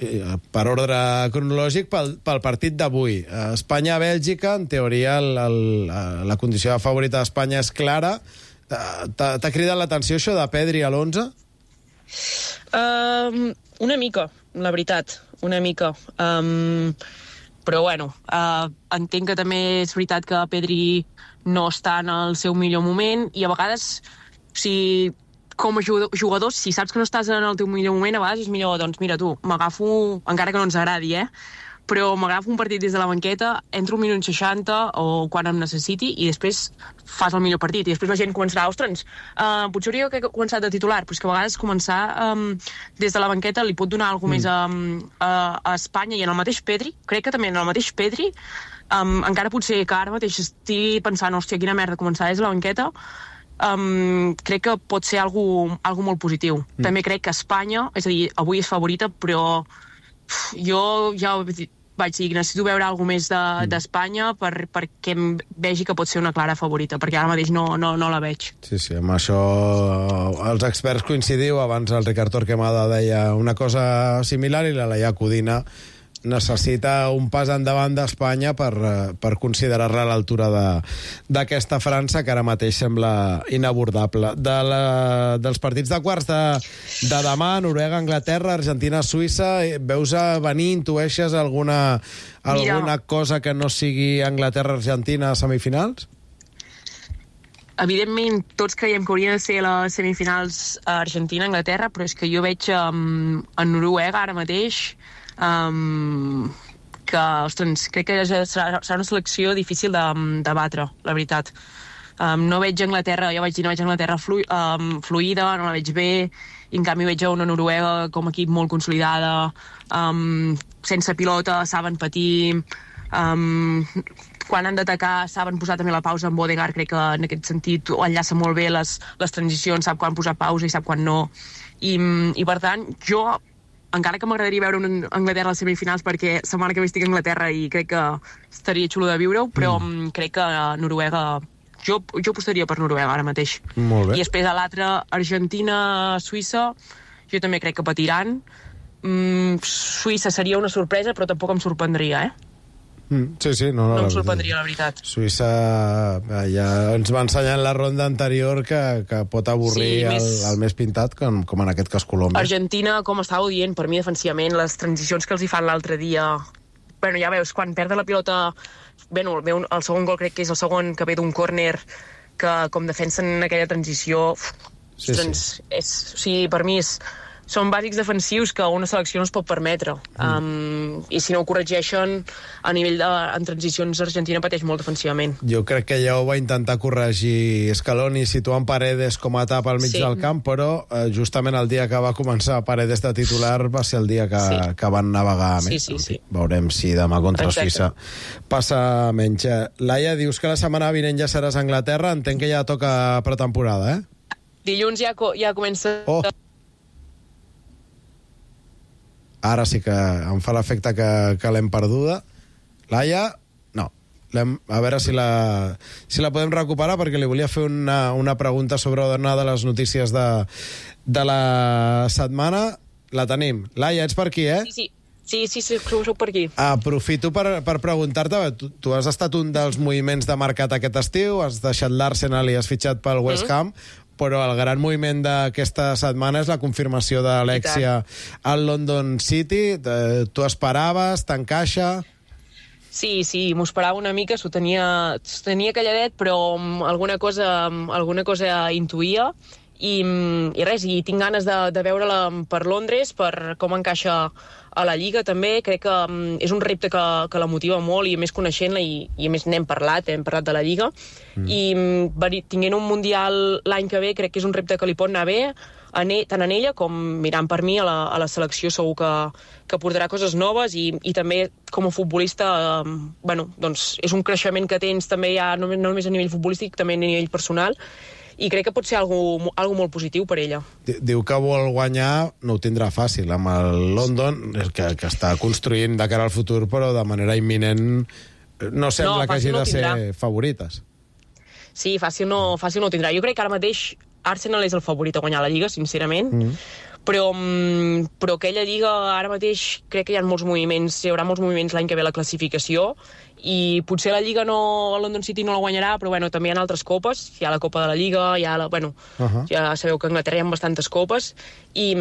per ordre cronològic, pel partit d'avui. Espanya-Bèlgica, en teoria la condició de favorita d'Espanya és clara. T'ha cridat l'atenció això de Pedri a l'11? Una mica, la veritat, una mica. Però bueno, entenc que també és veritat que Pedri no està en el seu millor moment, i a vegades, com a jugador, si saps que no estàs en el teu millor moment, a vegades és millor, doncs mira tu, m'agafo, encara que no ens agradi, però m'agafo un partit des de la banqueta, entro un minut 60 o quan em necessiti, i després fas el millor partit, i després la gent començarà, ostres, potser hauria començat de titular, però és que a vegades començar des de la banqueta li pot donar alguna més a Espanya, i en el mateix Pedri, crec que també en el mateix Pedri, encara potser que ara mateix estigui pensant, hòstia, quina merda, començar des de la banqueta, crec que pot ser algo molt positiu. També crec que Espanya, és a dir, avui és favorita, però jo ja vaig dir, necessito veure alguna més d'Espanya perquè em vegi que pot ser una clara favorita, perquè ara mateix no la veig. Sí, amb això els experts coincidiu. Abans el Ricard Torquemada deia una cosa similar, i la Laia Codina necessita un pas endavant d'Espanya per considerar-la a l'altura d'aquesta França, que ara mateix sembla inabordable. Dels partits de quarts de demà, Noruega, Anglaterra, Argentina, Suïssa, veus a venir, intueixes alguna cosa que no sigui Anglaterra-Argentina a semifinals? Evidentment, tots creiem que haurien de ser les semifinals Argentina-Anglaterra, però és que jo veig en Noruega ara mateix que, ostres, crec que serà una selecció difícil de batre, la veritat. No veig Anglaterra, ja vaig dir, no veig Anglaterra fluida, no la veig bé, i en canvi veig una Noruega com a equip molt consolidada, sense pilota, saben patir, quan han d'atacar saben posar també la pausa. En Odegaard crec que en aquest sentit enllaça molt bé les transicions, sap quan posar pausa i sap quan no, i per tant jo, encara que m'agradaria veure una Anglaterra a les semifinals, perquè setmana que ve estic a Anglaterra i crec que estaria xulo de viure-ho, però crec que Noruega, jo apostaria per Noruega ara mateix. Molt bé. I després a l'altre, Argentina-Suïssa, jo també crec que patiran. Suïssa seria una sorpresa, però tampoc em sorprendria, Sí, no em sorprendria, la veritat. Suïssa ja ens va ensenyar en la ronda anterior que pot avorrir el més pintat, com en aquest cas Colòmbia. Argentina, com estàveu dient, per mi defensivament, les transicions que els hi fan l'altre dia, bueno, ja veus, quan perd la pilota, el segon gol crec que és el segon, que ve d'un córner, que com defensen aquella transició, per mi són bàsics defensius que una selecció no es pot permetre. I si no ho corregeixen, a nivell en transicions, Argentina pateix molt defensivament. Jo crec que ja ho va intentar corregir Scaloni situant Paredes com a tap al mig del camp, però justament el dia que va començar Paredes de titular va ser el dia que van navegar més. Sí. Veurem si demà contra Suïssa passa menys. Laia, dius que la setmana vinent ja seràs a Anglaterra, entenc que ja toca pretemporada, Dilluns ja comença... Ara sí que em fa l'efecte que l'hem perduda. Laia? No. A veure si la podem recuperar, perquè li volia fer una pregunta sobre una de les notícies de la setmana. La tenim. Laia, ets per aquí, eh? Sí, soc per aquí. Aprofito per preguntar-te, tu has estat un dels moviments de mercat aquest estiu, has deixat l'Arsenal i has fitxat pel West Ham, però el gran moviment d'aquesta setmana és la confirmació d'Alexia al London City. Tu esperaves? T'encaixa? Sí, m'ho esperava una mica, s'ho tenia calladet, però alguna cosa intuïa. I res, i tinc ganes de veure-la per Londres, per com encaixa a la Lliga també. Crec que és un repte que la motiva molt, i a més coneixent-la, i a més n'hem parlat de la Lliga. I tinguent un Mundial l'any que ve, crec que és un repte que li pot anar bé, tant en ella com mirant per mi a la selecció. Segur que portarà coses noves, i també com a futbolista doncs és un creixement que tens també ja no només a nivell futbolístic, també a nivell personal, i crec que pot ser algo molt positiu per ella. Diu que vol guanyar, no ho tindrà fàcil amb el London, que està construint de cara al futur, però de manera imminent no sembla que hagi de ser favorites. Sí, fàcil no ho tindrà. Jo crec que ara mateix Arsenal és el favorit a guanyar la Lliga, sincerament, però aquella Lliga ara mateix crec que hi haurà molts moviments l'any que ve a la classificació, i potser la Lliga el London City no la guanyarà, però també hi ha altres copes. Hi ha la Copa de la Lliga, ja sabeu que a Anglaterra hi ha bastantes copes, i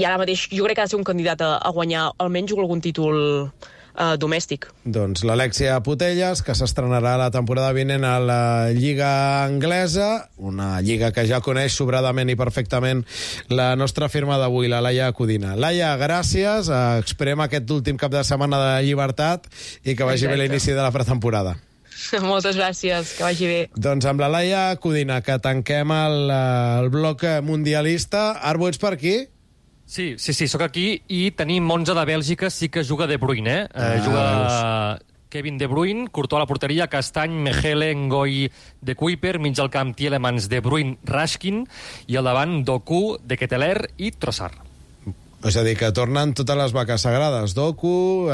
ara mateix jo crec que ha de ser un candidat a guanyar almenys algun títol domèstic. Doncs l'Alexia Putellas, que s'estrenarà la temporada vinent a la Lliga Anglesa, una lliga que ja coneix sobradament i perfectament la nostra firma d'avui, la Laia Codina. Laia, gràcies, esperem aquest últim cap de setmana de llibertat i que vagi bé l'inici de la pretemporada. Moltes gràcies, que vagi bé. Doncs amb la Laia Codina, que tanquem el bloc mundialista. Arbo, ets per aquí? Sí, sóc aquí, i tenim 11 de Bèlgica, sí que juga De Bruyne, juga Kevin De Bruyne, Courtois a la porteria, Castany, Mechele, Ngoi, De Kuyper, mig al camp Tielemans, De Bruyne, Rashkin, i al davant Doku, De Ketelaere i Trossard. És a dir, que tornen totes les vaques sagrades. Doku,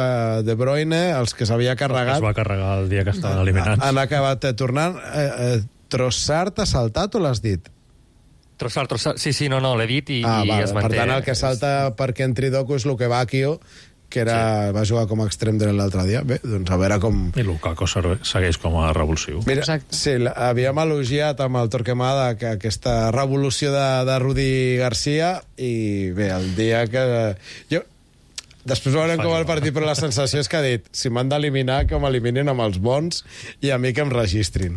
De Bruyne, els que s'havia carregat... Es va carregar el dia que estaven eliminats. Han acabat tornant. Trossard t'ha saltat o l'has dit? Trossard, sí, no, l'he dit i es manté. Per tant, el que salta perquè entri Doku és Lukebakio, que va jugar com a extrem dret l'altre dia. Bé, doncs a veure com... I Lukaku segueix com a revulsiu. Mira, sí, havíem elogiat amb el Torquemada aquesta revolució de Rudi Garcia, i bé, el dia que... Després veurem com el partit, però la sensació és que ha dit, si m'han d'eliminar, que m'eliminin amb els bons i a mi que em registrin.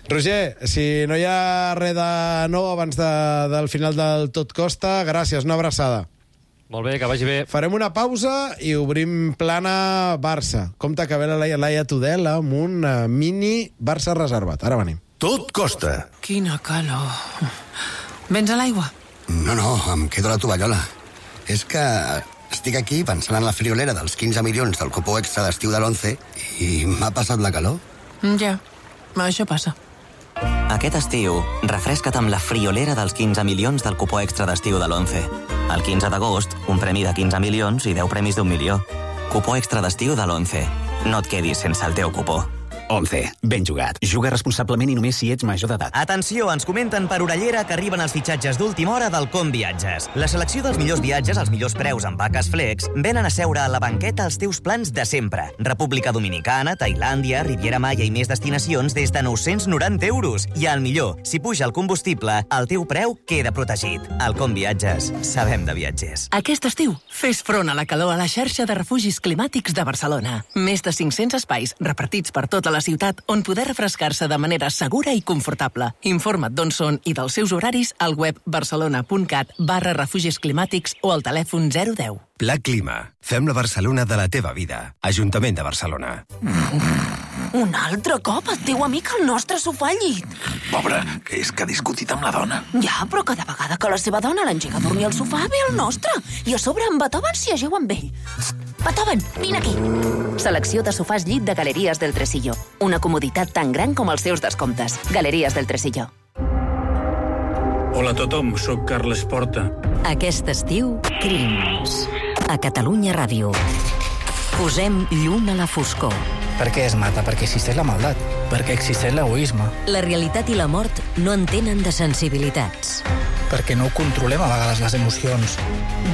Roger, si no hi ha res de nou abans del final del Tot Costa, gràcies, una abraçada. Molt bé, que vagi bé. Farem una pausa i obrim plana Barça. Compte que ve la Laia Tudela amb un mini Barça reservat. Ara venim. Tot Costa. Quina calor. Vens a l'aigua? No, em quedo a la tovallola. És que estic aquí pensant en la friolera dels 15 milions del cupó extra d'estiu de l'11 i m'ha passat la calor. Ja, això passa. Aquest estiu, refresca't amb la friolera dels 15 milions del cupó extra d'estiu de l'11. El 15 d'agost, un premi de 15 milions i 10 premis d'1 milió. Cupó extra d'estiu de l'11. No et quedis sense el teu cupó. 11. Ben jugat. Juga responsablement i només si ets major d'edat. Atenció, ens comenten per Orellera que arriben els fitxatges d'última hora del Com Viatges. La selecció dels millors viatges als millors preus amb vaques flex venen a seure a la banqueta els teus plans de sempre. República Dominicana, Tailàndia, Riviera Maya i més destinacions des de 990 euros. I el millor, si puja el combustible, el teu preu queda protegit. Al Com Viatges, sabem de viatgers. Aquest estiu, fes front a la calor a la xarxa de refugis climàtics de Barcelona. Més de 500 espais repartits per tota la ciutat on poder refrescar-se de manera segura i confortable. Informa't d'on són i dels seus horaris al web barcelona.cat/refugis climàtics o al telèfon 010. Pla Clima. Fem la Barcelona de la teva vida. Ajuntament de Barcelona. Un altre cop el teu amic al nostre sofà al llit. Pobre, que és que ha discutit amb la dona. Ja, però cada vegada que la seva dona l'engega a dormir al sofà ve el nostre. I a sobre en Beethoven s'hi ajeu amb ell. Beethoven, vine aquí. Selecció de sofàs llit de Galeries del Tresillo. Una comoditat tan gran com els seus descomptes. Galeries del Tresillo. Hola a tothom, sóc Carles Porta. Aquest estiu, Crims. A Catalunya Ràdio. Posem llum a la foscor. ¿Per què es mata? Perquè existeix la maldat, perquè existeix l'egoisme. La realitat i la mort no entenen de sensibilitats. Perquè no controlem a vegades les emocions.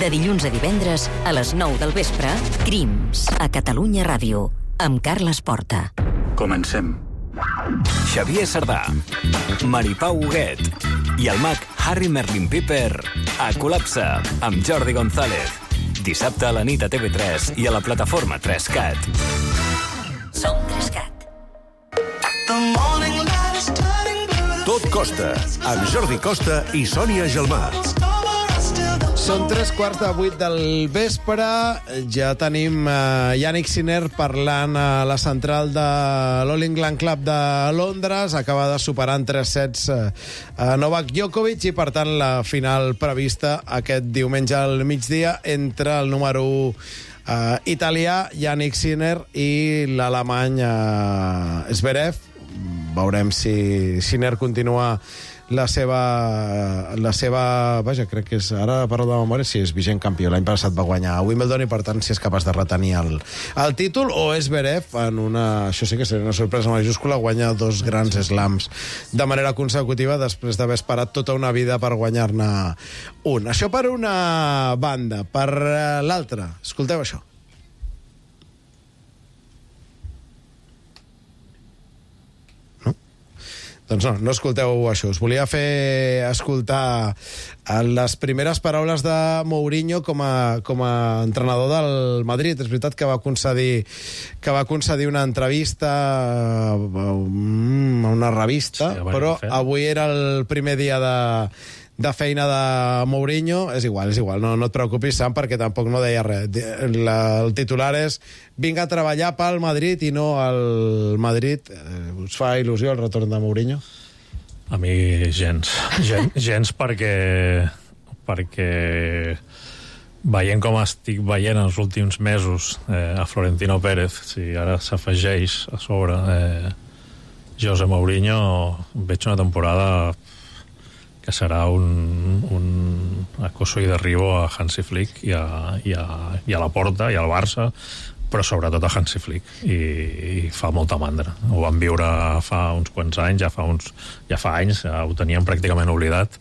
De dilluns a divendres, a les 9 del vespre, Crims, a Catalunya Ràdio, amb Carles Porta. Comencem. Xavier Sardà, Maripau Huguet i el mag Harry Merlin Piper a Col·lapse amb Jordi González. Dissabte a la nit a TV3 i a la plataforma 3CAT. Som 3CAT. Tot Costa, amb Jordi Costa i Sònia Gelmà. Són 7:45 del vespre. Ja tenim Yannick Sinner parlant a la central de l'All England Club de Londres. Acaba de superar en 3 sets a Novak Djokovic i, per tant, la final prevista aquest diumenge al migdia entre el número 1 italià, Yannick Sinner, i l'alemany Zverev. Veurem si Sinner continua la seva... Vaja, crec que és... Ara parlo de memòria, si és vigent campió. L'any passat va guanyar a Wimbledon i, per tant, si és capaç de retenir el títol, o és Zverev en una... Això sí que seria una sorpresa majúscula, guanya 2 grans slams de manera consecutiva després d'haver esperat tota una vida per guanyar-ne un. Això per una banda. Per l'altra, escolteu això. Doncs no escolteu això. Us volia fer escoltar les primeres paraules de Mourinho com a entrenador del Madrid. És veritat que va concedir una entrevista a una revista, sí, però avui era el primer dia de feina de Mourinho. És igual, no et preocupis, Sam, perquè tampoc no deia res. El titular és: vinga a treballar pel Madrid i no al Madrid. Us fa il·lusió el retorn de Mourinho? A mi gens perquè veient com estic veient els últims mesos a Florentino Pérez, si ara s'afegeix a sobre José Mourinho, veig una temporada que serà un acoso i derribo a Hansi Flick i a la Porta i al Barça, però sobretot a Hansi Flick, i fa molta mandra. Ho vam viure fa uns quants anys, ja fa anys, ho teníem pràcticament oblidat,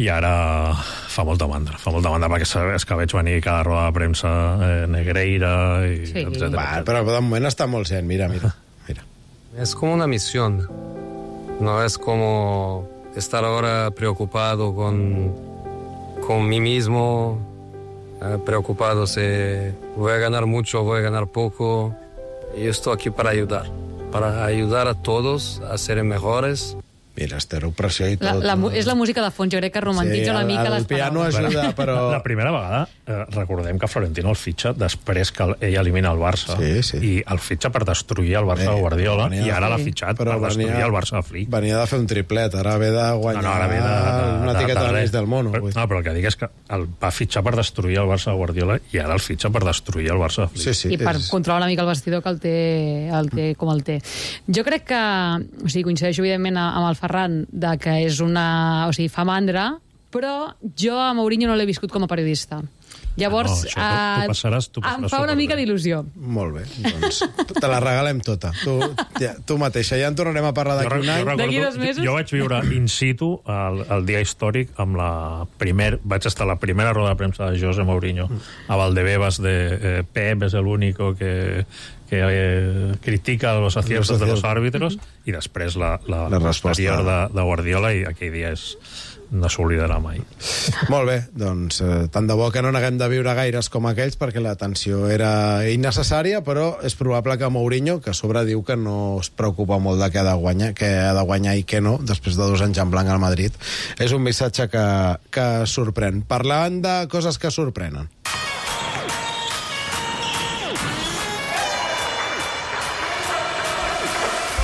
i ara fa molta mandra perquè és que veig venir cada roda de premsa Negreira, etcètera. Però de moment està molt zen, mira. Es como una misión, no es como estar ahora preocupado con mí mismo, preocupado si voy a ganar mucho o voy a ganar poco. Yo estoy aquí para ayudar a todos a ser mejores. Mira, pressió i tot. És la música de fons, jo crec que romantitza una mica les paraules. El piano ajuda, però... La primera vegada, recordem que Florentino el fitxa després que ell elimina el Barça, i el fitxa per destruir el Barça de Guardiola, i ara l'ha fitxat per destruir el Barça de Flick. Venia de fer un triplet, ara ve de guanyar una etiqueta de l'eix del mono. Però el que dic és que el va fitxar per destruir el Barça de Guardiola i ara el fitxa per destruir el Barça de Flick. I per controlar una mica el vestidor, que el té com el té. Jo crec que, coincideixo evidentment amb el Ferran, de que és una... O sigui, fa mandra, però jo a Mourinho no l'he viscut com a periodista. Llavors, em fa una mica d'il·lusió. Molt bé, doncs te la regalem tota. Tu mateixa. Ja en tornarem a parlar d'aquí un any. D'aquí 2 mesos. Jo vaig viure in situ el dia històric amb vaig estar a la primera roda de premsa de José Mourinho a Valdebebas de Pep és el único que critica los aciertos de los árbitros, i després la posterior de Guardiola, i aquell dia no s'oblidarà mai. Molt bé, doncs tant de bo que no n'haguem de viure gaires com aquells, perquè la tensió era innecessària, però és probable que Mourinho, que a sobre diu que no es preocupa molt de què ha de guanyar i què no, després de 2 anys en blanc al Madrid, és un missatge que sorprèn. Parlant de coses que sorprenen.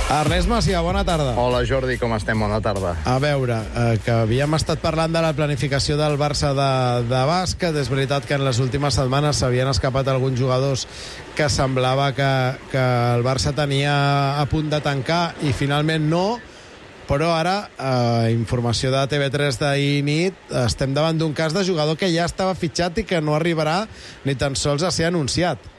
Ernest Macià, bona tarda. Hola, Jordi, com estem? Bona tarda. A veure, que havíem estat parlant de la planificació del Barça de bàsquet. És veritat que en les últimes setmanes s'havien escapat alguns jugadors que semblava que el Barça tenia a punt de tancar i finalment no, però ara, informació de TV3 d'ahir nit, estem davant d'un cas de jugador que ja estava fitxat i que no arribarà ni tan sols a ser anunciat.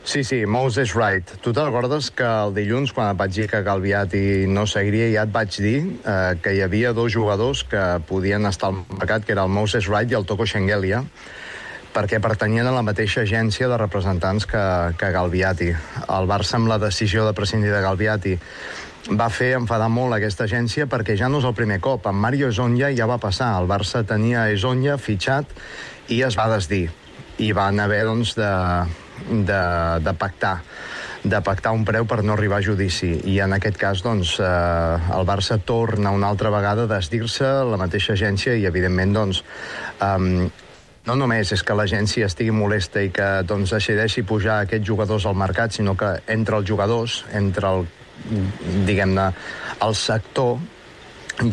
Sí, Moses Wright. Tu te'n recordes que el dilluns, quan et vaig dir que Galviati no seguiria, ja et vaig dir que hi havia 2 jugadors que podien estar al mercat, que era el Moses Wright i el Toko Shengelia, perquè pertanyien a la mateixa agència de representants que Galviati. El Barça, amb la decisió de prescindir de Galviati, va fer enfadar molt aquesta agència perquè ja no és el primer cop. Amb Mario Hezonja ja va passar. El Barça tenia Hezonja fitxat i es va desdir. I van haver, doncs, de pactar un preu per no arribar a judici. I en aquest cas, doncs, el Barça torna una altra vegada a desdir-se, la mateixa agència, i evidentment, doncs, no només és que l'agència estigui molesta i que, doncs, decideixi pujar aquests jugadors al mercat, sinó que entre els jugadors, entre diguem-ne, el sector,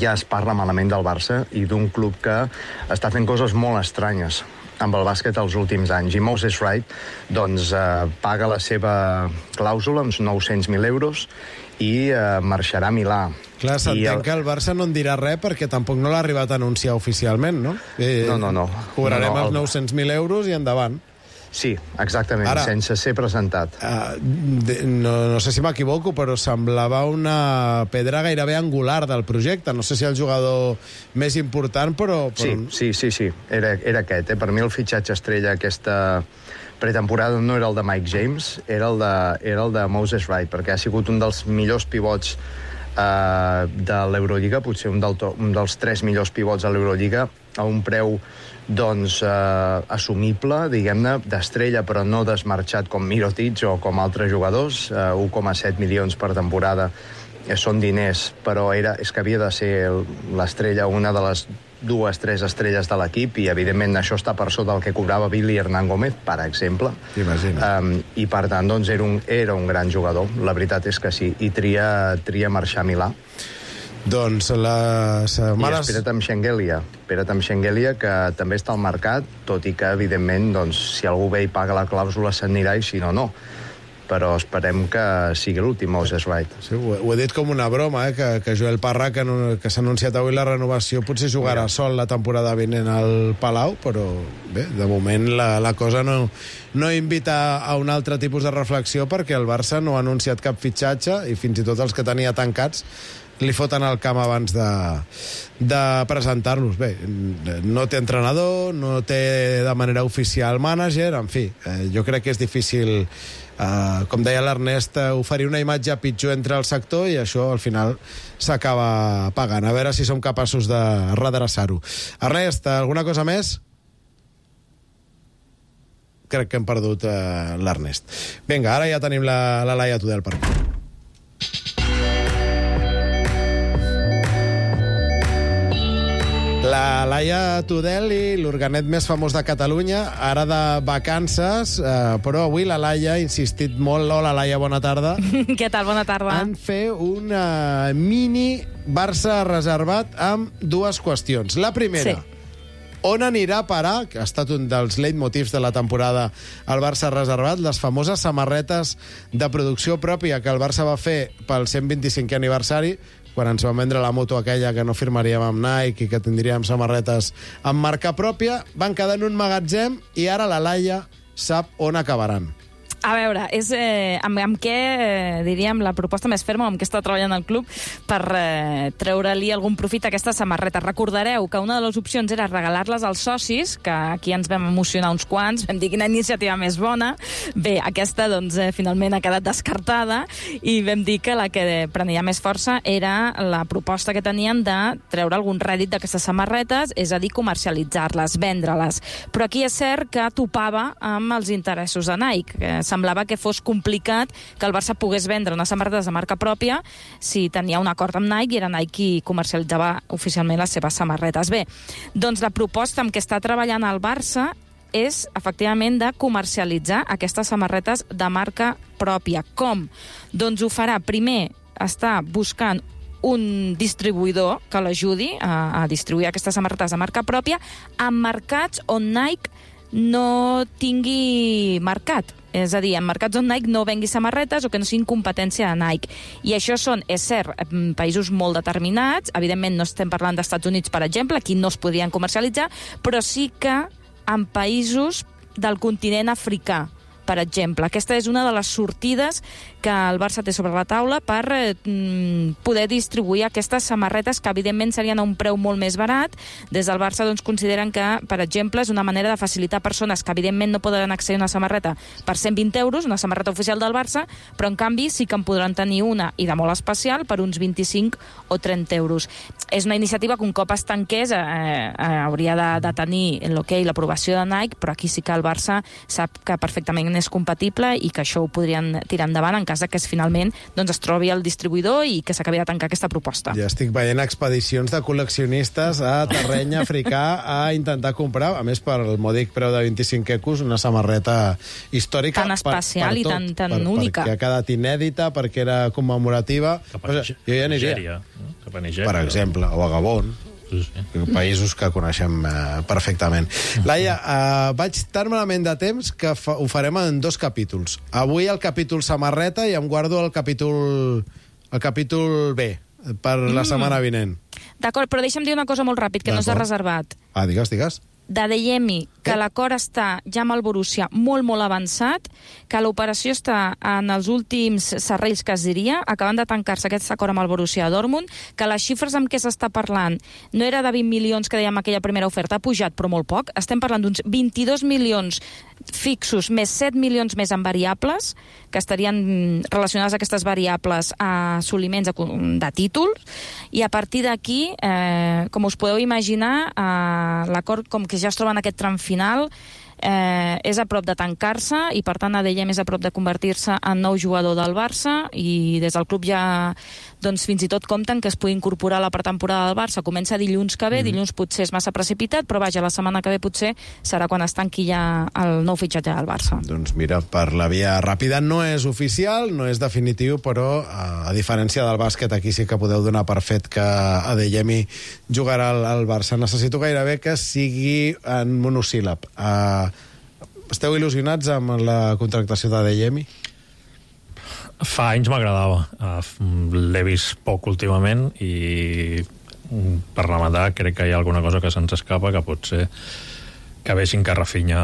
ja es parla malament del Barça i d'un club que està fent coses molt estranyes amb el bàsquet els últims anys. I Moses Wright, doncs, paga la seva clàusula, uns 900.000 euros, i marxarà a Milà. Clar, s'entén que el Barça no en dirà res perquè tampoc no l'ha arribat a anunciar oficialment, no? No. Cobrarem els 900.000 euros i endavant. Sí, exactament, ara, sense ser presentat. No sé si m'equivoco, però semblava una pedra gairebé angular del projecte. No sé si el jugador més important, però... Sí. Era aquest. Per mi el fitxatge estrella aquesta pretemporada no era el de Mike James, era el de Moses Wright, perquè ha sigut un dels millors pivots de l'Eurolliga, potser un dels 3 millors pivots de l'Eurolliga, a un preu, doncs, assumible, diguem-ne, d'estrella, però no desmarxat com Mirotic o com altres jugadors. 1,7 milions per temporada són diners, però és que havia de ser l'estrella, una de les 2-3 estrelles de l'equip, i evidentment això està per sota del que cobrava Billy Hernán Gómez, per exemple. I per tant, doncs, era un gran jugador, la veritat és que sí, i tria marxar a Milà. Doncs les setmanes... I espera't amb Shengelia, que també està al mercat, tot i que, evidentment, doncs, si algú ve i paga la clàusula, s'anirà, i si no, no. Però esperem que sigui l'últim Moses Wright. Sí, ho he dit com una broma, que Joel Parra, que s'ha anunciat avui la renovació, potser jugarà sol la temporada vinent al Palau, però bé, de moment la cosa no invita a un altre tipus de reflexió, perquè el Barça no ha anunciat cap fitxatge i fins i tot els que tenia tancats li foten al camp abans de presentar-los. Bé, no té entrenador, no té de manera oficial mànager, en fi, jo crec que és difícil, com deia l'Ernest, oferir una imatge pitjor entre el sector, i això al final s'acaba pagant. A veure si som capaços de redreçar-ho. Ernest, alguna cosa més? Crec que hem perdut l'Ernest. Vinga, ara ja tenim la Laia Tudel per aquí. La Laia Tudel i l'organet més famós de Catalunya, ara de vacances, però avui la Laia ha insistit molt. Hola, Laia, bona tarda. Què tal? Bona tarda. En fer un mini Barça reservat amb 2 qüestions. La primera, on anirà a parar, que ha estat un dels leitmotivs de la temporada al Barça reservat, les famoses samarretes de producció pròpia que el Barça va fer pel 125è aniversari, quan ens van vendre la moto aquella que no firmaríem amb Nike i que tindríem samarretes amb marca pròpia, van quedar en un magatzem i ara la Laia sap on acabaran. A veure, és amb què, diríem, la proposta més ferma, amb què està treballant el club per treure-li algun profit a aquestes samarretes. Recordareu que una de les opcions era regalar-les als socis, que aquí ens vam emocionar uns quants, vam dir quina iniciativa més bona. Bé, aquesta, doncs, finalment ha quedat descartada i vam dir que la que prenia més força era la proposta que tenien de treure algun rèdit d'aquestes samarretes, és a dir, comercialitzar-les, vendre-les. Però aquí és cert que topava amb els interessos de Nike, que semblava que fos complicat que el Barça pogués vendre unes samarretes de marca pròpia si tenia un acord amb Nike i era Nike qui comercialitzava oficialment les seves samarretes. Bé, doncs la proposta amb què està treballant el Barça és, efectivament, de comercialitzar aquestes samarretes de marca pròpia. Com? Doncs ho farà, primer, està buscant un distribuïdor que l'ajudi a distribuir aquestes samarretes de marca pròpia en mercats on Nike no tingui mercat. És a dir, en mercats on Nike no vengui samarretes o que no siguin competència de Nike. I això són, és cert, països molt determinats. Evidentment no estem parlant d'Estats Units, per exemple, aquí no es podrien comercialitzar, però sí que en països del continent africà, per exemple. Aquesta és una de les sortides que el Barça té sobre la taula per poder distribuir aquestes samarretes que, evidentment, serien a un preu molt més barat. Des del Barça consideren que, per exemple, és una manera de facilitar persones que, evidentment, no poden accedir a una samarreta per 120 euros, una samarreta oficial del Barça, però, en canvi, sí que en podran tenir una, i de molt especial, per uns 25 o 30 euros. És una iniciativa que, un cop es tanqués, hauria de tenir l'aprovació de Nike, però aquí sí que el Barça sap que perfectament és compatible i que això ho podrien tirar endavant en cas que finalment es trobi el distribuïdor i que s'acabi de tancar aquesta proposta. Ja estic veient expedicions de col·leccionistes a terreny africà a intentar comprar, a més per el mòdic preu de 25 ecos, una samarreta històrica tan especial i tan única. Perquè ha quedat inèdita, perquè era commemorativa. Jo ja aniria. Cap a Nigèria. Per exemple, o a Gabon. Països que coneixem perfectament. Laia, vaig tan malament de temps que ho farem en 2 capítols. Avui el capítol samarreta i em guardo el capítol B per la setmana vinent. D'acord, però deixa'm dir una cosa molt ràpid, que no s'ha reservat. Digues. D'Adeyemi, que l'acord està ja amb el Borussia molt, molt avançat, que l'operació està en els últims serrells, que es diria, acabant de tancar-se aquest acord amb el Borussia Dortmund, que les xifres amb què s'està parlant no era de 20 milions que dèiem aquella primera oferta, ha pujat, però molt poc. Estem parlant d'uns 22 milions fixos, més 7 milions més en variables, que estarien relacionades aquestes variables a assoliments de títols, i a partir d'aquí, com us podeu imaginar, l'acord, com que ja es troba en aquest tram final, és a prop de tancar-se i, per tant, Adeyemi és a prop de convertir-se en nou jugador del Barça, i des del club ja fins i tot compten que es pugui incorporar a la pretemporada del Barça. Comença dilluns que ve, dilluns potser és massa precipitat, però vaja, la setmana que ve potser serà quan es tanqui ja el nou fitxatge del Barça. Doncs mira, per la via ràpida no és oficial, no és definitiu, però a diferència del bàsquet, aquí sí que podeu donar per fet que Adeyemi jugarà al Barça. Necessito gairebé que sigui en monosíl·lab. Esteu il·lusionats amb la contractació d'Adeyemi? Fa anys m'agradava. L'he vist poc últimament i per rematar crec que hi ha alguna cosa que se'ns escapa, que pot ser que vegin que Rafinha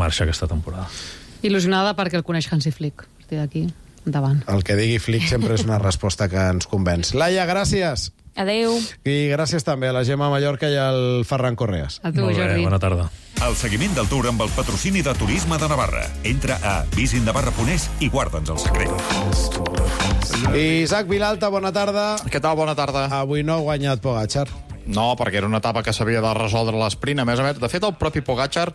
marxa aquesta temporada. Il·lusionada perquè el coneix Hansi Flick. A partir d'aquí, endavant. El que digui Flick sempre és una resposta que ens convenç. Laia, gràcies. Adéu. I gràcies també a la Gemma Mallorca i al Ferran Correas. A tu, Jordi. Bona tarda. El seguiment del Tour amb el patrocini de Turisme de Navarra. Entra a visitnavarra.es i guarda'ns el secret. Isaac Vilalta, bona tarda. Què tal? Bona tarda. Avui no ha guanyat Pogačar. No, perquè era una etapa que s'havia de resoldre a l'esprint. A més, de fet, el propi Pogačar,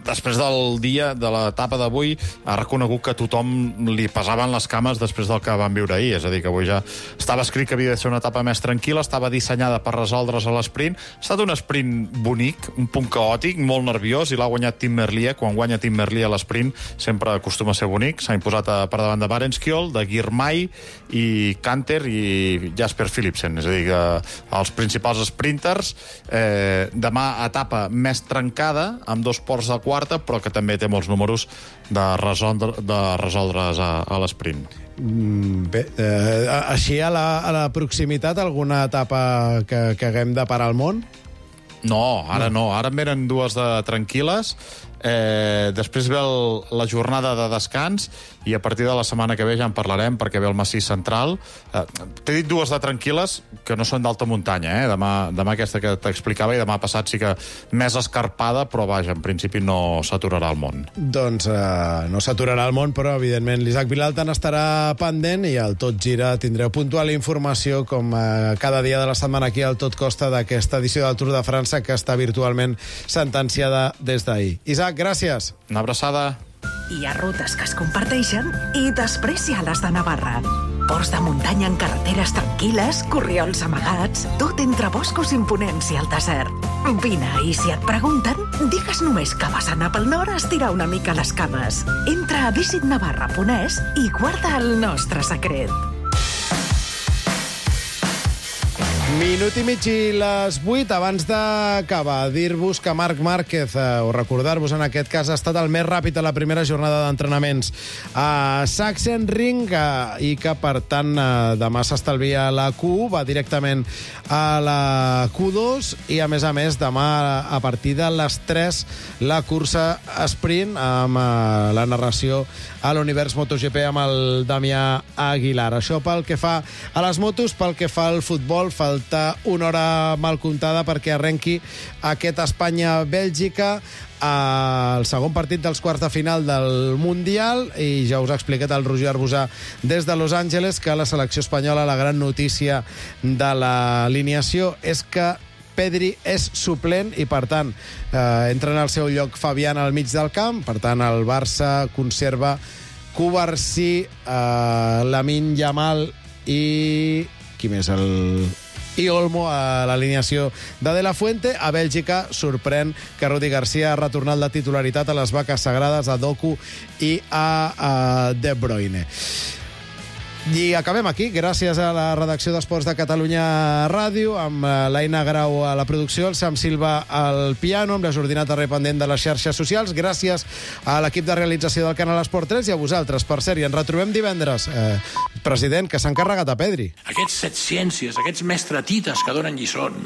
després del dia de l'etapa d'avui, ha reconegut que a tothom li pesaven les cames després del que van viure ahir. És a dir, que avui ja estava escrit que havia de ser una etapa més tranquil·la, estava dissenyada per resoldre's a l'esprint. Ha estat un sprint bonic, un punt caòtic, molt nerviós, i l'ha guanyat Tim Merlier. Quan guanya Tim Merlier a l'esprint sempre acostuma a ser bonic. S'ha imposat per davant de Barenskiol, de Girmay i Canter i Jasper Philipsen. És a dir, que els principals sprinters, demà etapa més trencada, amb 2 ports de quarta, però que també té molts números de resoldre's a l'esprint. Bé, així a la proximitat, alguna etapa que haguem de parar al món? No, ara no. Ara en venen 2 de tranquil·les. Després ve la jornada de descans i a partir de la setmana que ve ja en parlarem, perquè ve el massís central. T'he dit 2 de tranquil·les que no són d'alta muntanya, demà aquesta que t'explicava, i demà passat sí que més escarpada, però vaja, en principi no s'aturarà el món. Doncs no s'aturarà el món, però evidentment l'Isaac Vilalta n'estarà pendent, i al Tot Gira tindreu puntual informació com cada dia de la setmana aquí al Tot Costa d'aquesta edició del Tour de França, que està virtualment sentenciada des d'ahir. Isaac, gràcies. Una abraçada. Hi ha rutes que es comparteixen i després hi ha les de Navarra. Ports de muntanya en carreteres tranquil·les, corriols amagats, tot entre boscos imponents i el desert. Vine, i si et pregunten, digues només que vas anar pel nord a estirar una mica les cames. Entra a visitnavarra.es i guarda el nostre secret. Minut i mig i les 8. Abans d'acabar, dir-vos que Marc Márquez, o recordar-vos en aquest cas, ha estat el més ràpid a la primera jornada d'entrenaments a Sachsenring i que, per tant, demà s'estalvia la Q1, va directament a la Q2 i, a més, demà a partir de les 3 la cursa sprint amb la narració a l'Univers MotoGP amb el Damià Aguilar. Això pel que fa a les motos, pel que fa al futbol, falta una hora mal comptada perquè arrenqui aquest Espanya-Bèlgica, el segon partit dels quarts de final del Mundial, i ja us ha explicat el Roger Arbusà des de Los Angeles que la selecció espanyola, la gran notícia de l'alineació és que Pedri és suplent i, per tant, entra en el seu lloc Fabián al mig del camp. Per tant, el Barça conserva Cubarsí, Lamine Yamal i... qui més? I Olmo a l'alineació de la Fuente. A Bèlgica sorprèn que Rudi Garcia ha retornat la titularitat a les vaques sagrades, a Doku i a De Bruyne. I acabem aquí, gràcies a la redacció d'Esports de Catalunya Ràdio, amb l'Aina Grau a la producció, el Sam Silva al piano, amb la Jordina Tarré pendent de les xarxes socials. Gràcies a l'equip de realització del Canal Esport 3 i a vosaltres. Per cert, i ens retrobem divendres. President, que s'ha encarregat a Pedri. Aquests setciències, aquests mestratites que donen lliçons,